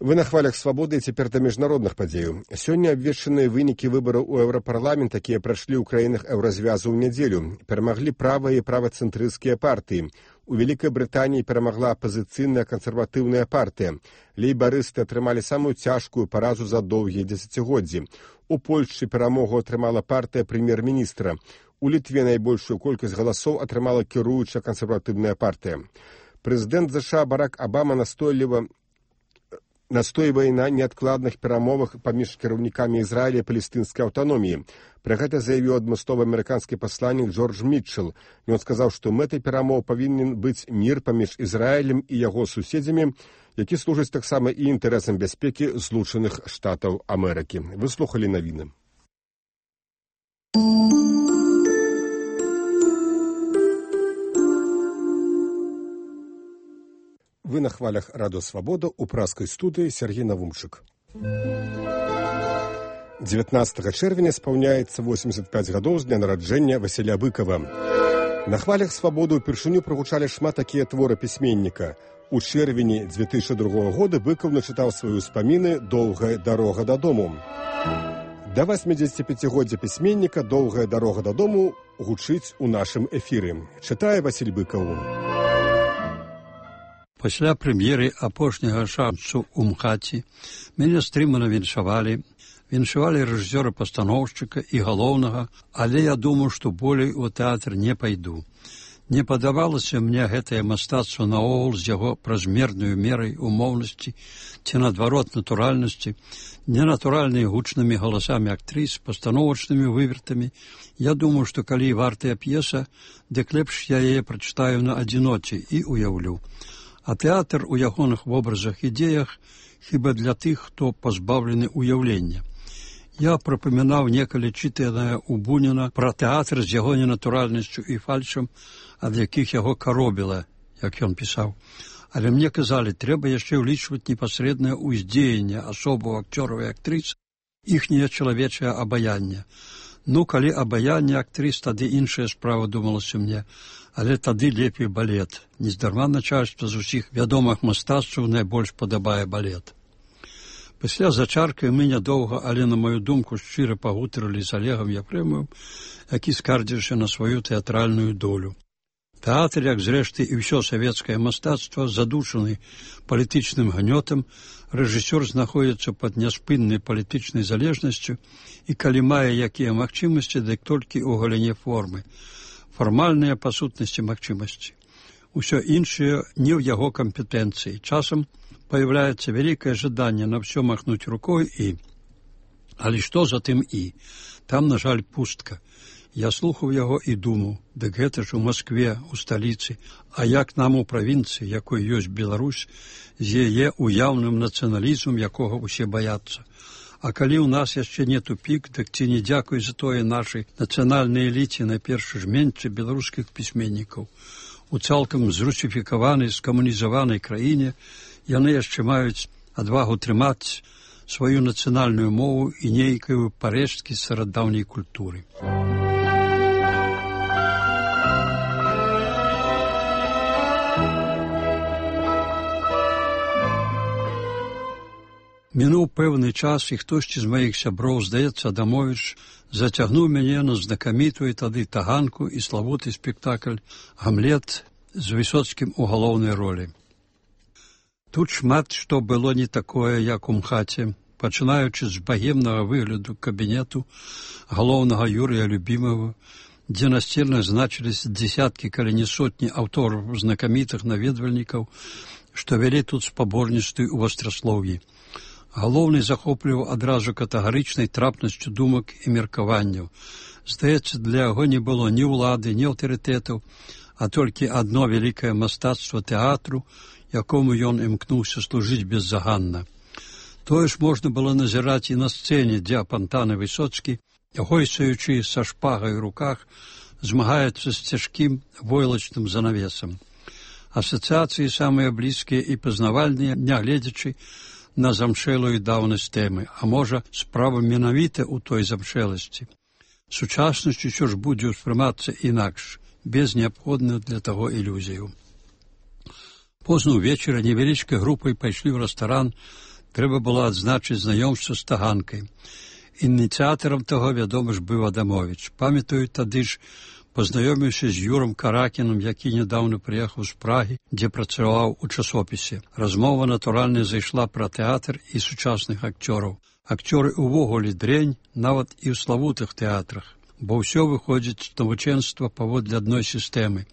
Вы на хвалях свабоды і цяпер да міжнародных падзеяў. Сёння абвешчаныя вынікі выбараў у Еўрапарламент, якія прайшлі ў краінах еўразвязу ў нядзелю. Перамаглі правыя і правацэнтрысцкія партыі. У Вялікай Брытаніі перамагла апазіцыйная кансерватыўная партыя. Лейбарысты атрымалі самую цяжкую паразу за доўгія дзесяцігоддзі. У Польшчы перамогу атрымала партыя прэм'ер-міністра. У Літве найбольшую колькасць галасоў атрымала кіруючая кансерватыўная партыя. Прэзідэнт ЗША Барак Абама настойліва настойвае на неадкладных перамовах паміж кіраўнікамі Ізраіля і палестынскай аўтаноміі. Пра гэта заявіў адмысловы амерыканскі пасланнік Джордж Мітчел. Ён сказаў, што мэтай перамоў павінен быць мір паміж Ізраілем і яго суседзямі, які служыць таксама і інтарэсам бяспекі Злучаных Штатаў Амерыкі. Вы слухалі навіны. Вы на хвалях Радыё Свабода, у праскай студыі Сергей Навумчык. дзевятнаццатага чэрвеня спаўняецца восемьдесят пять гадоў з дня нараджэння Васіля Быкова. На хвалях Свабоды ўпершыню прагучалі шмат такія творы пісьменніка. У чэрвені две тысячи другога года Быкаў начытаў свае ўспаміны «Доўгая дарога дадому». Да восьмидзесяціпяцігоддзя пісьменніка «Доўгая дарога дадому» гучыць у нашым эфіры. Чытае Васіль Быкаў. Пасля прэм'еры апошняга шансу ў МХАТе мяне стрымана віншавалі, віншавалі рэжысёра-пастаноўшчыка і галоўнага, але я думаў, што болей у тэатр не пайду. Не падавалася мне гэтае мастацтва наогул з яго празмернаю мерай умоўнасці ці, наадварот, натуральнасці, ненатуральнымі гучнымі галасамі актрыс, пастановачнымі вывертамі. Я думаю, што калі вартая п'еса, дык лепш я яе прачытаю на адзіноце і уяўлю. А тэатр у ягоных вобразах і дзеях хіба для тых, хто пазбаўлены уяўлення. Я прапамінаў некалі чытанае ў Буніна пра тэатр з яго ненатуральнасцю і фальшам, ад якіх яго каробіла, як ён пісаў. Але мне казалі, трэба яшчэ ўлічваць непасрэднае ўздзеянне асобаў акцёраў і актрыс, іхняе чалавечае абаянне. Ну, калі абаянне актрыс, тады іншая справа, думалася мне, але тады лепей балет. Нездарма начальства з усіх вядомых мастацтваў найбольш падабае балет. Пасля зачаркай мы нядоўга, але, на маю думку, шчыра пагутарылі з Алегам Ефремовым, які скардзіўся на сваю тэатральную долю. Тэатр, як зрэшты і ўсё савецкае мастацтва, задушаны палітычным гнётам, рэжысёр знаходзіцца пад няспыннай палітычнай залежнасцю і калі мае якія магчымасці, дык толькі ў галіне формы. Фармальныя па сутнасці магчымасці. Усё іншае не ў яго кампетэнцыі. Часам появляется великое жаданне на все махнуть рукой и... Але што за тым і? Там, на жаль, пустка. Я слухаў яго і думаў, дык гэта ж у Маскве, у сталіцы, а як нам у правінцыі, якой ёсць Беларусь, з яе уяўным нацыяналізмам, якога ўсе баяцца. А калі ў нас яшчэ не тупік, дык ці не дзякуй за тое нашай нацыянальнай эліце, найперш жменьцы беларускіх пісьменнікаў. У цалкам зрусіфікаванай, скамунізаванай краіне яны яшчэ маюць адвагу трымаць сваю нацыянальную мову і нейкую парэшткі старадаўняй культуры. Мінуў пэўны час, і хтосьці з маіх сяброў, здаецца, Адамовіч, зацягнуў мяне на знакамітую тады таганку і славуты спектакль «Гамлет» з Высоцкім у галоўнай ролі. Тут шмат што было не такое, як у МХАТе, пачынаючы з багемнага выгляду кабінету галоўнага Юрыя Любімова, дзе насцельна значыліся дзесяткі, калі не сотні аўтораў знакамітых наведвальнікаў, што вялі тут спаборніцтвы ў вастраслоўі. Галоўны захопліваў адразу катэгарычнай трапнасцю думак і меркаванняў. Здаецца, для яго не было ні ўлады, ні аўтарытэтаў, а толькі адно вялікае мастацтва тэатру, якому ён імкнуўся служыць беззаганна. Тое ж можна было назіраць і на сцэне, дзе апантаны Высоцкі, гойсаючы са шпагай у руках, змагаецца з цяжкім войлачным занавесам. Асацыяцыі самыя блізкія і пазнавальныя, нягледзячы на замшэлую даўнасць тэмы, а можа, справа менавіта ў той замшэласці. Сучаснасць усё ж будзе ўспрымацца інакш, без неабходных для таго ілюзіяў. Позна ўвечары невялічкай групай пайшлі ў рэстаран, трэба было адзначыць знаёмства з таганкай. Ініцыятарам таго, вядома ж, быў Адамовіч. Памятаю, тады ж пазнаёміўся з Юрам Каракінам, які нядаўна прыехаў з Прагі, дзе працаваў у часопісе. Размова, натуральна, зайшла пра тэатр і сучасных акцёраў. Акцёры ўвогуле дрэнь, нават і ў славутых тэатрах, бо ўсё выходзіць з навучэнства паводле адной сістэмы.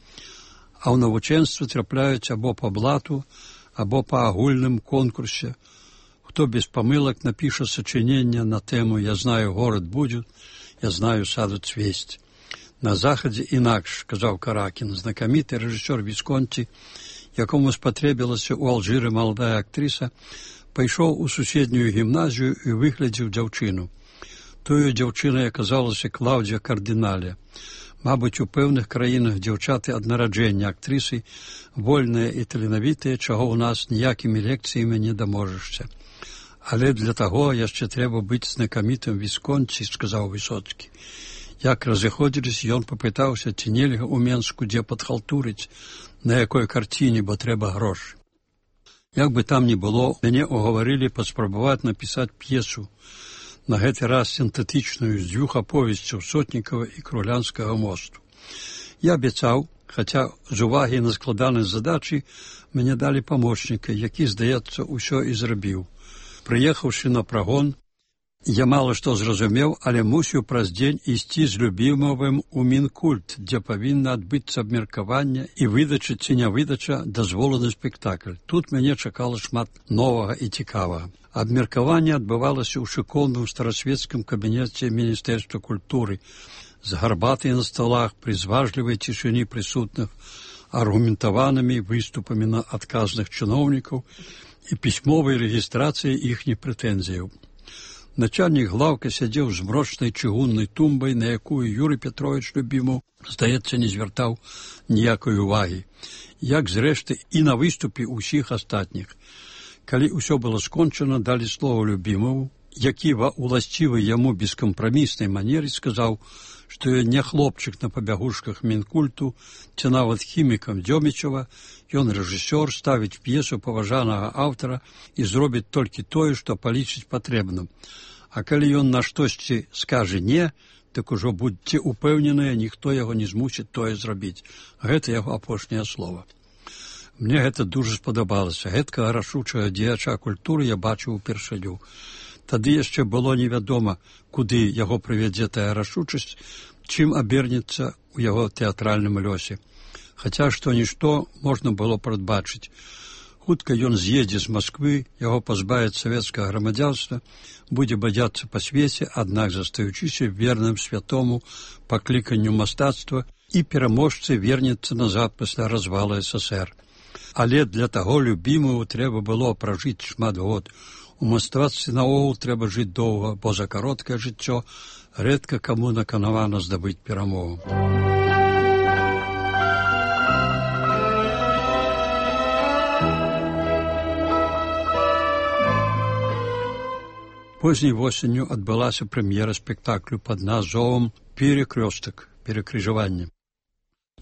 А ў навучэнстве трапляюць або па блату, або па агульным конкурсе. Хто без памылак напіша сачынення на тэму «Я знаю, город будет», «Я знаю, саду цвесть». На захадзе інакш, казаў Каракін, знакаміты рэжысёр Вісконці, якому спатрэбілася ў Алжыры маладая актрыса, пайшоў у суседнюю гімназію і выглядзеў дзяўчыну. Тою дзяўчынай аказалася Клаўдзія Кардыналя. Мабыць, у пэўных краінах дзяўчаты ад нараджэння актрысы вольныя і таленавітыя, чаго ў нас ніякімі лекцыямі не даможашся. Але для таго яшчэ трэба быць знакамітым Вісконці, сказаў Высоцкі. Як разыходзіліся, ён папытаўся, ці нельга ў Менску дзе падхалтурыць, на якой карціне, бо трэба грошы. Як бы там ні было, мяне угаварылі паспрабаваць напісаць п'есу, на гэты раз сінтэтычную, з дзвюх аповесцяў Сотнікава і Крулянскага мосту. Я абяцаў, хаця з увагі на складанасць задачы мяне далі памочніка, які, здаецца, усё і зрабіў. Прыехаўшы на прагон, Я мала што зразумеў, але мусіў праз дзень ісці з любімовым у Мінкульт, дзе павінна адбыцца абмеркаванне і выдача ці не выдача дазволу на спектакль. Тут мяне чакала шмат новага і цікавага. Абмеркаванне адбывалася ў шыкоўным старасвецкім кабінеце Міністэрства культуры з гарбатай на сталах, пры зважлівай цішыні прысутных, аргументаванымі выступамі на адказных чыноўнікаў і пісьмовай рэгістрацыяй іхніх прэтэнзіяў. Начальнік глаўка сядзеў з мрочнай чыгуннай тумбай, на якую Юрый Петрович Любімаў, здаецца, не звяртаў ніякай увагі, як, зрэшты, і на выступе ўсіх астатніх. Калі ўсё было скончана, далі слова Любімаву, які ва уласцівай яму бескампраміснай манеры сказаў, што ён не хлопчык на пабягушках Мінкульту, ці нават хімікам Дзёмічева, ён рэжысёр, ставіць п'есу паважанага аўтара і зробіць толькі тое, што палічыць патрэбным. А калі ён на штосьці скажа «не», так ужо будьце упэўненыя, ніхто яго не змусіць тое зрабіць. Гэта яго апошняе слова. Мне гэта дужа спадабалася. Гэткага рашучага дзеяча культуры я бачыў упершыню. Тады яшчэ было невядома, куды яго прывядзе тая рашучасць, чым абернецца ў яго тэатральным лёсе. Хаця што-нішто можна было прадбачыць. Хутка ён з'едзе з Масквы, яго пазбавяць савецкага грамадзянства, будзе бадзяцца па свеце, аднак застаючыся верным святому пакліканню мастацтва і пераможцы вернецца назад пасля развала СССР. Але для таго Любімаву трэба было пражыць шмат год. У мастацтве наогул трэба жыць доўга, бо за кароткае жыццё рэдка каму наканавана здабыць перамогу. Позняй восенню адбылася прэм'ера спектаклю пад назвом «Перекрёстак» – «Перекрыжаванне».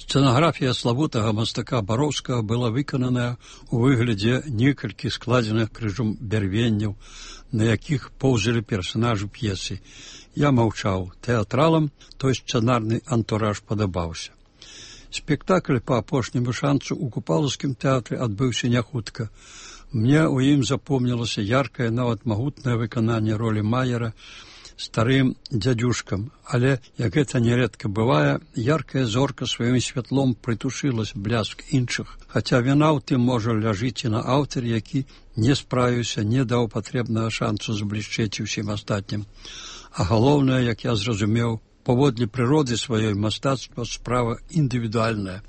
Сцэнаграфія славутага мастака Бароўскага была выкананая ў выглядзе некалькі складзеных крыжом бярвенняў, на якіх поўзалі персанажы п'есы. Я маўчаў. Тэатралам той сцэнарны антураж падабаўся. Спектакль па апошняму шанцу ў Купалаўскім тэатры адбыўся няхутка. Мне ў ім запомнілася яркае, нават магутнае выкананне ролі Майера старым дзядзюшкам, але, як гэта нярэдка бывае, яркая зорка сваім святлом прытушылась бляск іншых, хаця віна ў тым можа ляжыць і на аўтар, які не справіўся, не даў патрэбнага шансу заблішчэць усім астатнім. А галоўнае, як я зразумеў, паводле прыроды сваёй мастацтва справа індывідуальная.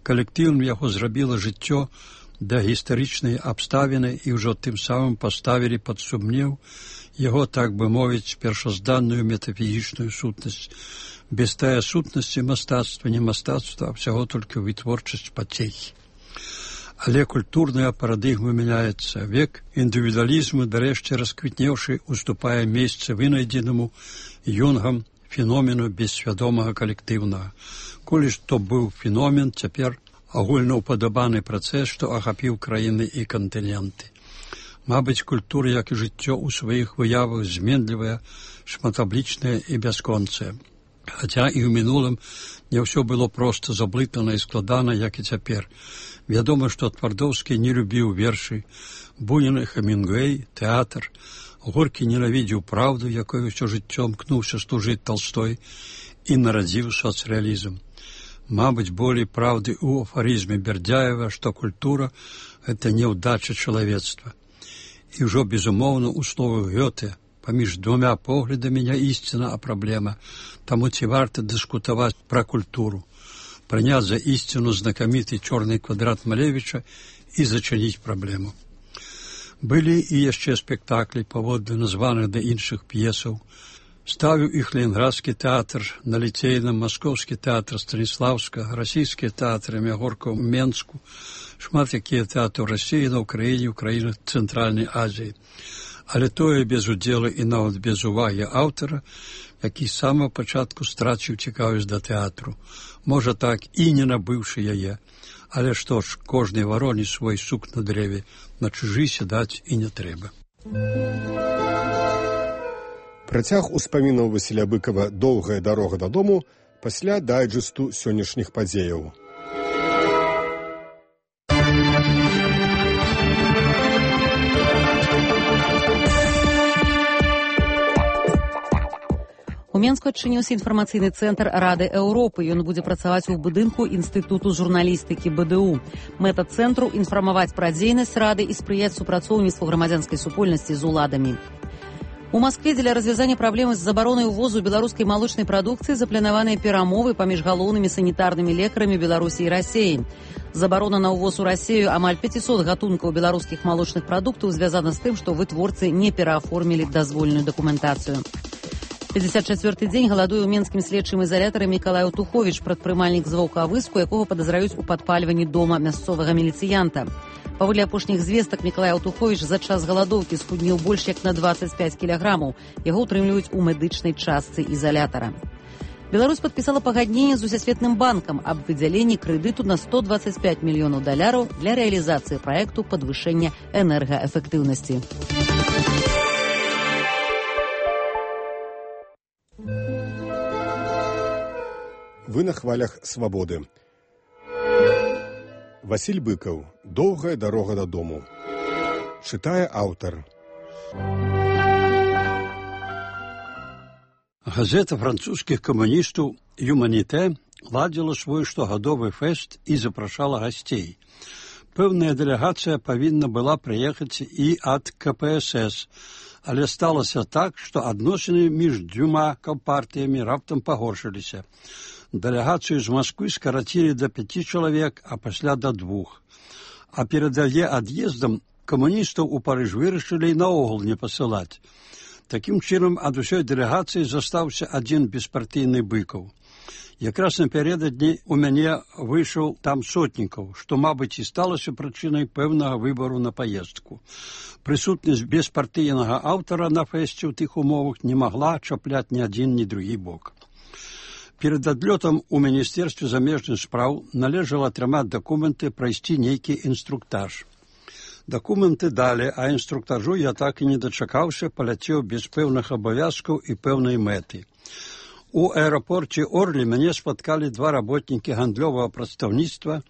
Калектыўным яго зрабіла жыццё да гістарычнай абставіны і ўжо тым самым паставілі пад сумнеў яго, так бы мовіць, першазданную метафізічную сутнасць. Без тая сутнасці мастацтва не мастацтва, а ўсяго толькі вытворчасць пацехі. Але культурная парадыгма мяняецца. Век індывідуалізму, дарэшце расквітнеўшы, уступае месца вынайдзенаму Юнгам феномену бессвядомага калектыўнага. Колі што быў феномен, цяпер агульнаўпадабаны працэс, што ахапіў краіны і кантыненты. Мабыць, культура, як і жыццё ў сваіх выявах зменлівая, шматаблічная і бясконцая. Хаця і ў мінулым не ўсё было проста заблытана і складана, як і цяпер. Вядома, што Твардоўскі не любіў вершы, Бунін і Хемінгуэй, тэатр, Горкі ненавідзеў праўду, якой усё жыццё мкнуўся служыць Талстой, і нарадзіў соцрэалізм. Мабыць, болей праўды ў афарызме Бердяева, што культура – гэта няўдача чалавецтва. І ўжо, безумоўна, у словах Гёте, паміж двумя поглядамі не ісціна, а праблема. Таму ці варта дыскутаваць пра культуру, прыняць за ісціну знакаміты чорны квадрат Малевіча і зачыніць праблему. Былі і яшчэ спектаклі паводле названых да іншых п'есаў. Ставіў іх Ленінградскі тэатр на Ліцейным, Маскоўскі тэатр Станіслаўскага, расійскія тэатры Мягорка ў Менску, шмат якія тэатры ў Расіі, на Ўкраіне, ў краінах Цэнтральнай Азіі. Але тое без удзелу і нават без увагі аўтара, які з самага пачатку страціў цікавасць да тэатру. Можа так і не набыўшы яе. Але што ж, кожнай вароне свой сук на дрэве, на чужы сядаць і не трэба. Працяг успамінаў Васіля Быкава «Доўгая дарога дадому» пасля дайджэсту сённяшніх падзеяў. Менску адчыніўся інфармацыйны цэнтр Рады Еўропы. Ён будзе працаваць у будынку Інстытуту журналістыкі бэ дэ у. Мэта цэнтру інфармаваць пра дзейнасць Рады і спрыяць супрацоўніцтву грамадзянскай супольнасці з уладамі. У Маскве дзеля развязання праблемы з забаронай увозу беларускай малочнай прадукцыі запланаваныя перамовы паміж галоўнымі санітарнымі лекарамі Беларусі і Расіі. Забарона на ўвоз у Расію амаль пяцісот гатункаў беларускіх малочных прадуктаў звязана з тым, што вытворцы не перааформілі дазвольную дакументацыю. пятьдесят чвёрты дзень галадуе ў менскім следчым ізалятары Мікалай Утуховіч, прадпрымальнік з Ваўкавыску, якога падазраюць у падпальванні дома мясцовага міліцыянта. Паводле апошніх звестак, Мікалай Утуховіч за час галадоўкі схуднеў больш як на двадцать пять кілаграмаў. Яго ўтрымліваюць у медычнай частцы ізалятара. Беларусь падпісала пагадненне з Усесветным банкам аб выдзяленні крэдыту на сто двадцать пять мільёнаў даляраў для рэалізацыі праекту падвышэння энергаэфектыўнасці. Вы на хвалях свабоды. Васіль Быкаў. Доўгая дарога дадому. Чытае аўтар. Газета французскіх камуністаў «Юманіте» ладзіла свой штогадовы фэст і запрашала гасцей. Пэўная дэлегацыя павінна была прыехаць і ад ка пэ эс эс, але сталася так, што адносіны між дзвюма кампартыямі раптам пагоршыліся. Дэлегацыю з Масквы скарацілі да пяці чалавек, а пасля да двух. А перад яе ад'ездам камуністаў у Парыж вырашылі наогул не пасылаць. Такім чынам, ад усёй дэлегацыі застаўся адзін беспартыйны Быкаў. Якраз напярэдадні у мяне выйшаў там сотнікаў, што, мабыць, і сталася прычынай пэўнага выбару на паездку. Прысутнасць беспартыйнага аўтара на фэсце ў тых умовах не магла чапляць ні адзін, ні другі бок. Перед адлётам у Міністэрстве замежных спраў належала атрымаць дакументы, прайсці нейкі інструктаж. Дакументы далі, а інструктажу я так і не дачакаўся, паляцеў без пэўных абавязкаў і пэўнай мэты. У аэрапорце Орлі мяне спаткалі два работнікі гандлёвага прадстаўніцтва,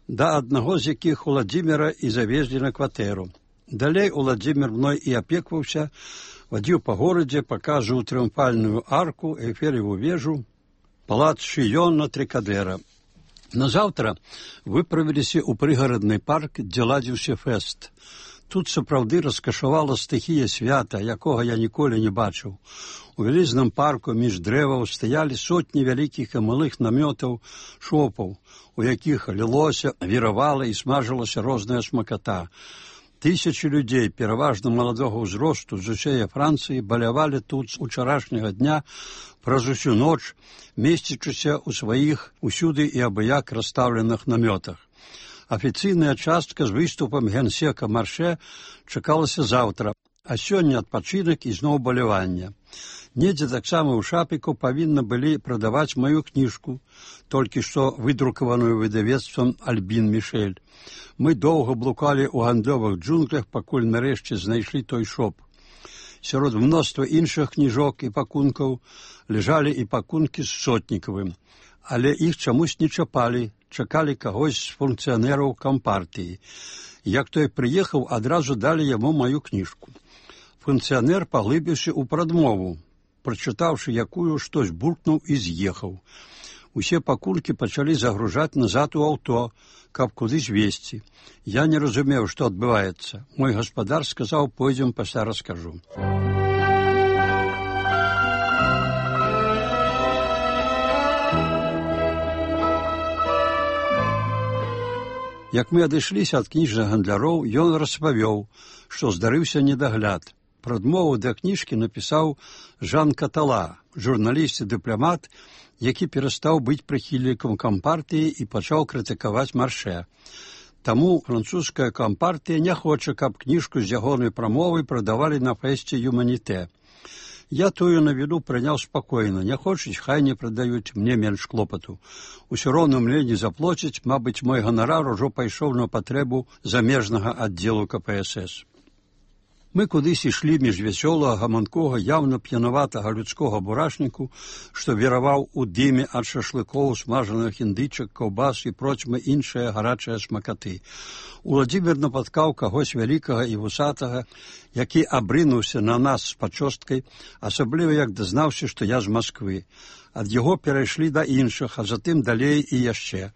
да аднаго з якіх Уладзіміра і завезлі на кватэру. Далей Уладзімір мной і апекваўся, вадзіў па горадзе, паказваў трыумфальную арку, Эйфелеву вежу, палац Шыён на Трыкадэра. Назаўтра выправіліся ў прыгарадны парк, дзе ладзіўся фэст. Тут сапраўды раскашавала стыхія свята, якога я ніколі не бачыў. У вялізным парку між дрэваў стаялі сотні вялікіх і малых намётаў, шопаў, у якіх лілося, віравала і смажылася розная смаката. Тысячы людзей, пераважна маладога ўзросту з усёй Францыі, балявалі тут з учарашняга дня праз усю ноч, месцячыся ў сваіх усюды і абыяк расстаўленых намётах. Афіцыйная частка з выступам генсека Марше чакалася заўтра, а сёння адпачынак і зноў балявання. Недзе таксама ў шапіку павінна былі прадаваць маю кніжку, толькі што выдрукаваную выдавецтвам Альбін Мішэль. Мы доўга блукалі ў гандлёвых джунглях, пакуль нарэшце знайшлі той шоп. Сярод мноства іншых кніжок і пакункаў ляжалі і пакункі з Сотнікавым, але іх чамусь не чапалі, чакалі кагось з функцыянераў кампартыі. Як той прыехаў, адразу далі яму маю кніжку. Функцыянер паглыбіўся ў прадмову, прачытаўшы якую, штось буркнуў і з'ехаў. Усе пакулькі пачалі загружаць назад у аўто, каб кудысь везці. Я не разумеў, што адбываецца. Мой гаспадар сказаў, пойдзем, пасля раскажу. Як мы адышліся ад кніжных гандляроў, ён распавёў, што здарыўся недагляд. Прадмову да кніжкі напісаў Жан Катала, журналіст і дыпламат, які перастаў быць прыхільнікам кампартыі і пачаў крытыкаваць Марше. Таму французская кампартыя не хоча, каб кніжку з ягонай прамовай прадавалі на фэсце «Юманіте». Я тую навіну прыняў спакойна. Не хочуць, хай не прадаюць, мне менш клопату. Усё роўна мне не заплоцяць, мабыць, мой ганарар ужо пайшоў на патрэбу замежнага аддзелу ка пэ эс эс. Мы кудысь ішлі між вясёлага, гаманкога, яўна п'янаватага людскога бурашніку, што віраваў у дыме ад шашлыкоў, смажаных індычак, каўбас і процьмы іншыя гарачыя смакаты. Уладзімір напаткаў кагось вялікага і вусатага, які абрынуўся на нас з пачосткай, асабліва як дазнаўся, што я з Масквы. Ад яго перайшлі да іншых, а затым далей і яшчэ.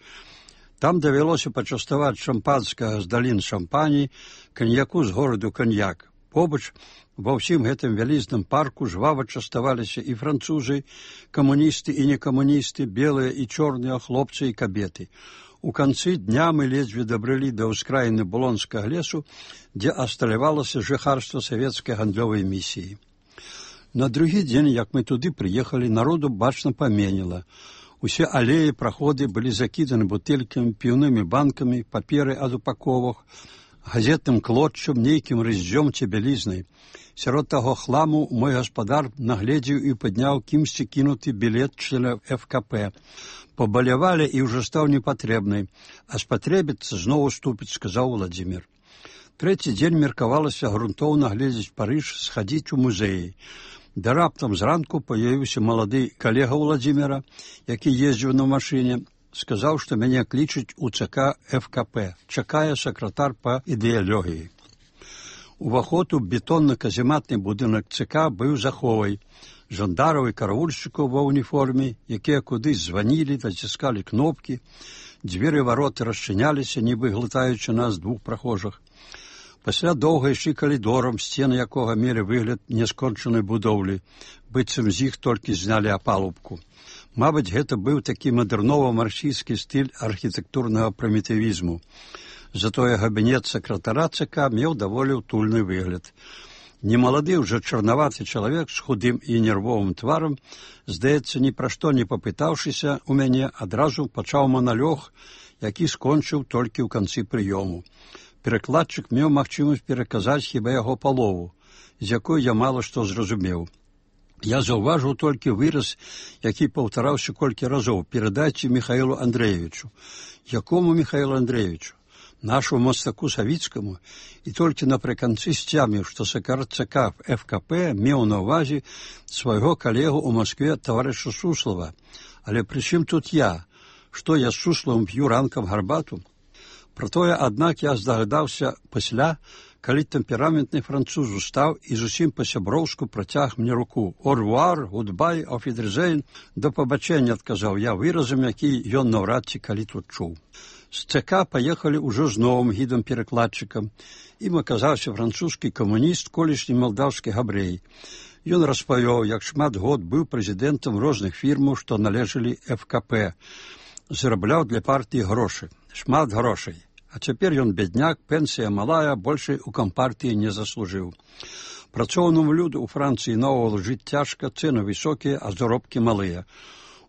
Там давялося пачаставаць шампанскага з далін шампані, каньяку з гораду каньяк. Побач ва ўсім гэтым вялізным парку жвава частаваліся і французы, камуністы і некамуністы, белыя і чорныя, хлопцы і кабеты. У канцы дня мы ледзьве дабралі да ўскраіны Булонскага лесу, дзе асталявалася жыхарства савецкай гандлёвай місіі. На другі дзень, як мы туды прыехалі, народу бачна паменела. Усе алеі, праходы былі закіданы бутэлькамі, піўнымі банкамі, паперы ад упаковак, газетным клотчам, нейкім рыззём ці бялізнай. Сярод таго хламу мой гаспадар нагледзеў і падняў кімсьці кінуты білет члена эф ка пэ. Пабалявалі і ўжо стаў непатрэбнай, а спатрэбіцца зноў уступіць, сказаў Уладзімір. Трэці дзень меркавалася грунтоўна гледзець Парыж, схадзіць у музеі. Да раптам зранку паявіўся малады калега Уладзіміра, які ездзіў на машыне, сказаў, што мяне клічуць у цэ ка эф ка пэ, чакае сакратар па ідэалогіі. Уваход у бетонна-казематны будынак цэ ка быў заховай. Жандараў і караульшчыкаў ва ўніформе, якія кудысь званілі, націскалі кнопкі, дзверы вароты расчыняліся, нібы глытаючы нас двух прахожых. Пасля доўга ішлі калідорам, сцены якога мелі выгляд няскончанай будоўлі, быццам з іх толькі знялі апалубку. Мабыць, гэта быў такі мадэрнова-марксійскі стыль архітэктурнага прымітывізму. Затое габінет сакратара цэ ка меў даволі утульны выгляд. Немалады ўжо чарнаваты чалавек з худым і нервовым тварам, здаецца, ні пра што не папытаўшыся у мяне, адразу пачаў маналёг, які скончыў толькі ў канцы прыёму. Перакладчык меў магчымасць пераказаць хіба яго палову, з якой я мала што зразумеў. Я заўважыў толькі выраз, які паўтараўся колькі разоў: «Перадайце Міхаілу Андрэевічу». Якому Міхаілу Андрэевічу? Нашому мастаку Савіцкаму? І толькі напрыканцы сцяміў, што сакратар цэ ка эф ка пэ меў на ўвазе свайго калегу ў Маскве таварыша Суслава. Але пры чым тут я? Што я з Суславым п'ю ранкам гарбату? Пра тое, аднак, я здагадаўся пасля, калі тэмпераментны француз устаў і зусім па-сяброўску працяг мне руку. «Орвуар, гудбай, офідерзейн», «До пабачэння», адказаў я выразам, які ён наўрад ці калі тут чуў. З цэ ка паехалі ўжо з новым гідам-перакладчыкам. Ім аказаўся французскі камуніст, колішні малдаўскі габрэй. Ён распавёў, як шмат год быў прэзідэнтам розных фірмаў, што належалі эф ка пэ. Зарабляў для партыі грошы. Шмат грошай. А цяпер ён бедняк, пенсія малая, большай у кампартыі не заслужыў. Працоўнаму люду ў Францыі наогул жыць цяжка, цэны высокія, а заробкі малыя.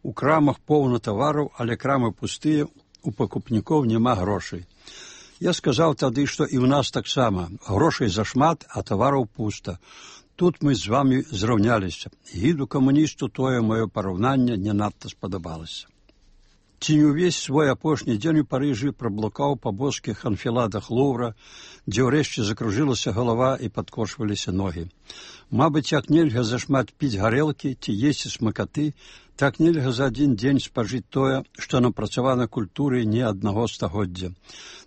У крамах поўна тавараў, але крамы пустыя, у пакупнікоў няма грошай. Я сказаў тады, што і ў нас таксама. Грошай зашмат, а тавараў пуста. Тут мы з вамі зраўняліся. Гіду камуністу тое маё параўнанне не надта спадабалася. Ці не ўвесь свой апошні дзень у Парыжы праблукаў па боскіх анфіладах Лувра, дзе ўрэшце закружылася галава і падкошваліся ногі. Мабыць, як нельга зашмат піць гарэлкі ці есці смакаты, так нельга за адзін дзень спажыць тое, што напрацавана культурай не аднаго стагоддзя,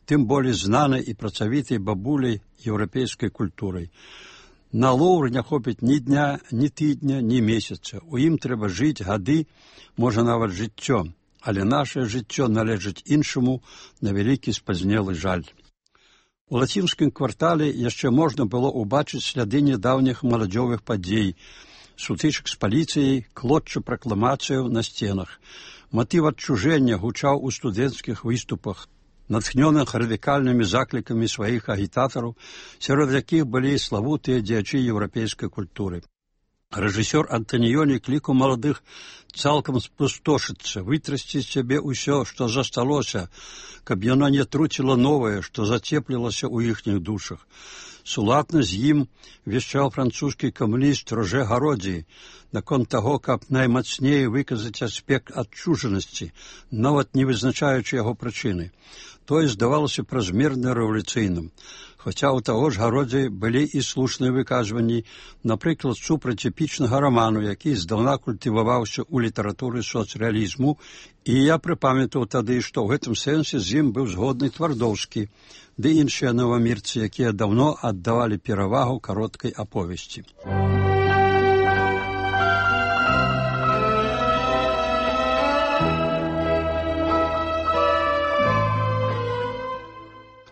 тым болей знанай і працавітай бабуляй еўрапейскай культурай. На Лувр не хопіць ні дня, ні тыдня, ні месяца. У ім трэба жыць гады, можа нават жыццё. Але наше жыццё належыць іншаму, на вялікі спазнелы жаль. У лацінскім квартале яшчэ можна было ўбачыць сляды нядаўніх маладзёвых падзей, сутычак з паліцыяй, клотча пракламацыяў на сценах. Матыў адчужэння гучаў у студэнцкіх выступах, натхнёных радыкальнымі заклікамі сваіх агітатараў, сярод якіх былі славутыя дзеячы еўрапейскай культуры. Рэжысёр Антаніёні клікаў маладых цалкам спустошыцца, вытрасці з сябе ўсё, што засталося, каб яно не труціла новае, што зацеплілася ў іхніх душах. Сулатна з ім вешчаў французскі камуніст Роже Гародзі наконт таго, каб наймацней выказаць аспект адчужанасці, нават не вызначаючы яго прычыны. Тое здавалася празмерна рэвалюцыйным. Хаця ў таго ж гародзе былі і слушныя выказванні, напрыклад, супраць эпічнага раману, які здаўна культываваўся ў літаратуры соцрэалізму, і я прыпамятаў тады, што ў гэтым сэнсе з ім быў згодны Твардоўскі, ды іншыя новамірцы, якія даўно аддавалі перавагу кароткай аповесці.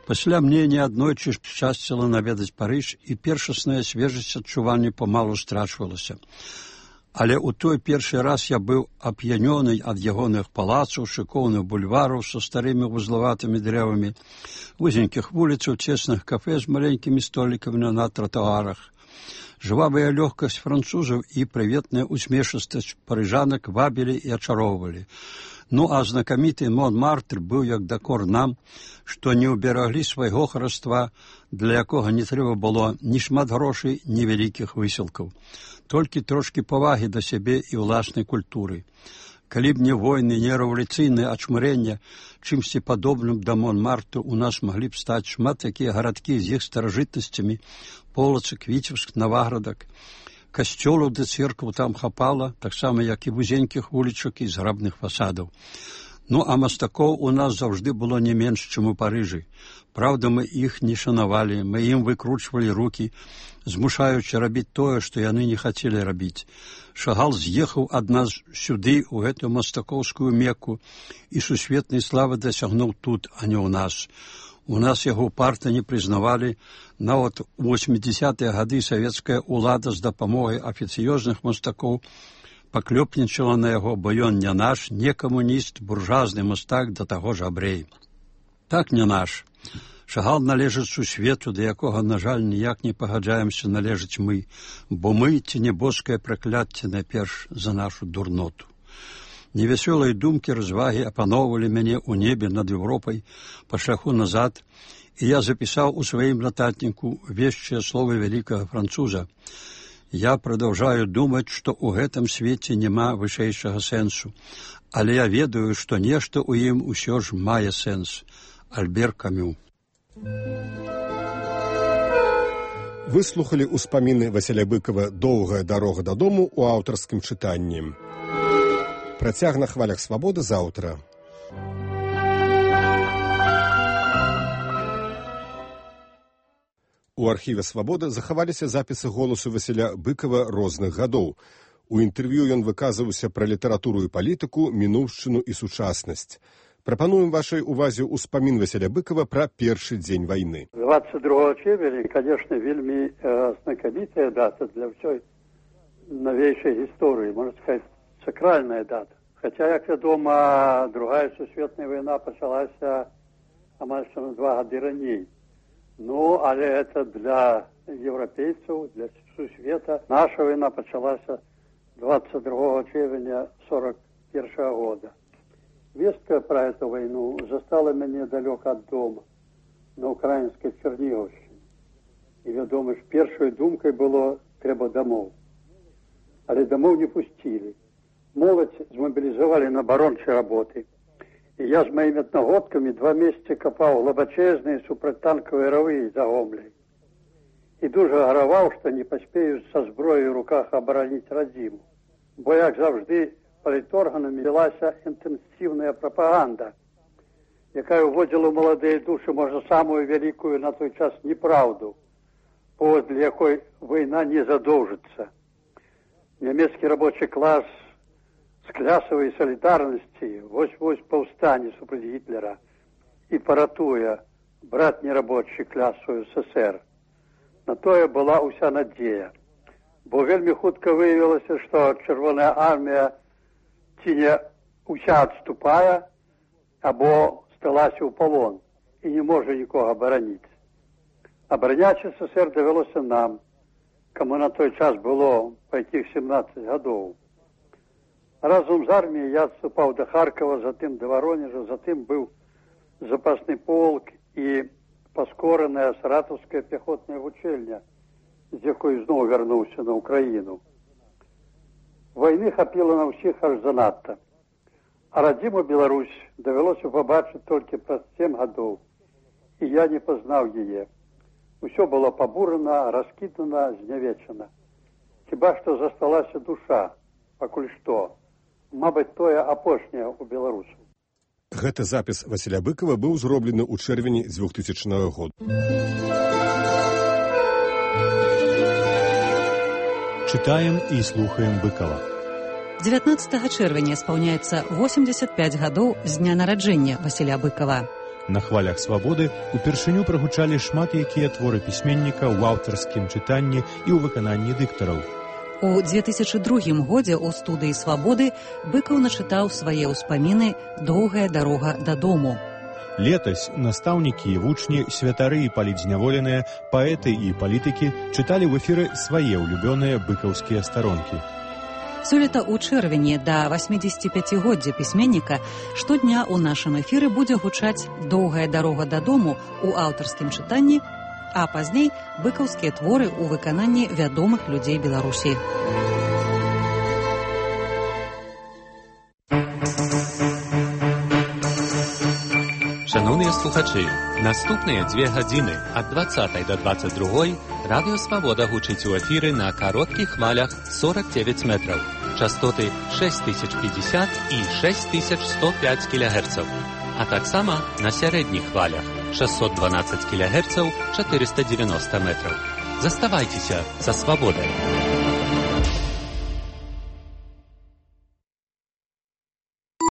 Пасля мне неаднойчы шчасціла наведаць Парыж, і першасная свежасць адчування памалу страчвалася. Але ў той першы раз я быў ап'янёны ад ягоных палацаў, шыкоўных бульвараў са старымі вузлаватымі дрэвамі, вузенькіх вуліцаў, цесных кафэ з маленькімі столікамі на тратуарах. Жвавая лёгкасць французаў і прыветная усмешыстасць парыжанак вабілі і ачароўвалі. Ну, а знакаміты Монмартр быў як дакор нам, што не ўбераглі свайго хараства, для якога не трэба было ні шмат грошай, ні вялікіх высілкаў. Толькі трошкі павагі да сябе і ўласнай культуры. Калі б не войны, не рэвалюцыйнае ачмырэнне, чымсьці падобным да Монмартру у нас маглі б стаць шмат такія гарадкі з іх старажытнасцямі, Полацк, Віцебск, Наваградак. Касцёлаў ды церкваў там хапала, таксама як і вузенькіх вулічак і зграбных фасадаў. Ну, а мастакоў у нас заўжды было не менш, чым у Парыжы. Праўда, мы іх не шанавалі, мы ім выкручвалі рукі, змушаючы рабіць тое, што яны не хацелі рабіць. Шагал з'ехаў ад нас сюды, у гэтую мастакоўскую Мекку, і сусветнай славы дасягнуў тут, а не ў нас. У нас яго ўпарта не прызнавалі, нават у восьмідзесятыя гады савецкая ўлада з дапамогай афіцыёзных мастакоў паклёпнічала на яго, бо ён не наш, не камуніст, буржуазны мастак, да таго ж абрэй. Так не наш. Шагал належыць сусвету, да якога, на жаль, ніяк не пагаджаемся належыць мы, бо мы ці небоскае пракляцце найперш за нашу дурноту. Невясёлыя думкі развагі апаноўвалі мяне ў небе над Еўропай па шляху назад, і я запісаў у сваім нататніку вешчыя словы вялікага француза. Я прадаўжаю думаць, што ў гэтым свеце няма вышэйшага сэнсу, але я ведаю, што нешта ў ім усё ж мае сэнс. Альбер Камю. Выслухалі ўспаміны Васіля Быкава «Доўгая дарога дадому» у аўтарскім чытанні. Працяг на хвалях свабоды заўтра. У архіве «Свабода» захаваліся запісы голасу Васіля Быкава розных гадоў. У інтэрв'ю ён выказваўся пра літаратуру і палітыку, мінуўшчыну і сучаснасць. Прапануем вашай увазе ўспамін Васіля Быкава пра першы дзень вайны. двадцать другого чэрвеня, конечно, вельмі знакамітая дата для ўсёй навейшай гісторыі, можна сказаць, сакральная дата. Хаця, як вядома, другая сусветная вайна пачалася амаль што на два гады раней. Ну, але это для еўрапейцаў, для сусвета. Наша вайна пачалася двадцать другого чэрвеня сорок першага года. Вестка пра эту вайну застала мяне далёка ад дома, на украінскай Чернігаўшчыне. І, вядома ж, першай думкай было трэба дамоў. Але дамоў не пусцілі. Моладзь змабілізавалі на абарончыя работы. І я з маімі аднагодкамі два месяцы капаў глыбачэзныя супрацьтанкавыя равы за Гомляй. І дужа гараваў, што не паспею са зброяй у руках абараніць радзіму. Бо, як заўжды, паліторганамі велася інтэнсіўная прапаганда, якая ўводзіла ў маладыя душы, можа, самую вялікую на той час неправду, паводле якой вайна не задоўжыцца. Нямецкі рабочы клас з клясавай салідарнасці вось-вось паўстане супраць Гітлера і паратуе братні рабочы кляс у СССР. На тое была ўся надзея, бо вельмі хутка выявілася, што Чырвоная армія ці не ўся адступае, або сталася ў палон і не можа нікога абараніць. Абараняць СССР давялося нам, каму на той час было па якіх сямнаццаць гадоў. Разом з арміяй я адступаў да Харкова, затым да Воронежа, затым быў запасны полк і паскораная саратаўская пяхотная вучэльня, з якой зноў вярнуўся на Украіну. Вайны хапіла на ўсіх аж занадта. А радзіму Беларусь давялося пабачыць толькі праз сем гадоў, і я не пазнаў яе. Усё было пабурана, раскідана, знявечана. Хіба што засталася душа, пакуль што. Мабыць, тое апошняе ў беларусаў. Гэты запіс Васіля Быкова быў зроблены ў чэрвені двухтысячнага года. Читаем і слухаем Быкова. дзевятнаццатага чэрвеня спаўняецца восемьдесят пять гадоў з дня нараджэння Васіля Быкова. На хвалях свабоды упершыню прагучалі шмат якія творы пісьменніка ў аўтарскім чытанні і ў выкананні дыктараў. У две тысячы другім годзе ў студыі «Свабоды» Быкаў начытаў свае ўспаміны «Доўгая дарога дадому». Летась настаўнікі і вучні, святары і палітзняволеныя, паэты і палітыкі чыталі ў эфіры свае ўлюбёныя быкаўскія старонкі. Сёлета ў чэрвені да восьмідзесяціпяцігоддзя пісьменніка штодня ў нашым эфіры будзе гучаць «Доўгая дарога дадому» ў аўтарскім чытанні, а пазней быкаўскія творы ў выкананні вядомых людзей Беларусі. Шановныя слухачы, наступныя дзве гадзіны ад дваццатай да дваццаць другой радыё «Свабода» гучыць у эфіры на кароткіх хвалях сорок девять метраў, частоты шесть тысяч пятьдесят і шесть тысяч сто пять кілогерцаў, а таксама на сярэдніх хвалях шестьсот двенадцать кілогерцаў, четыреста девяносто метраў. Заставайцеся са «Свабодай».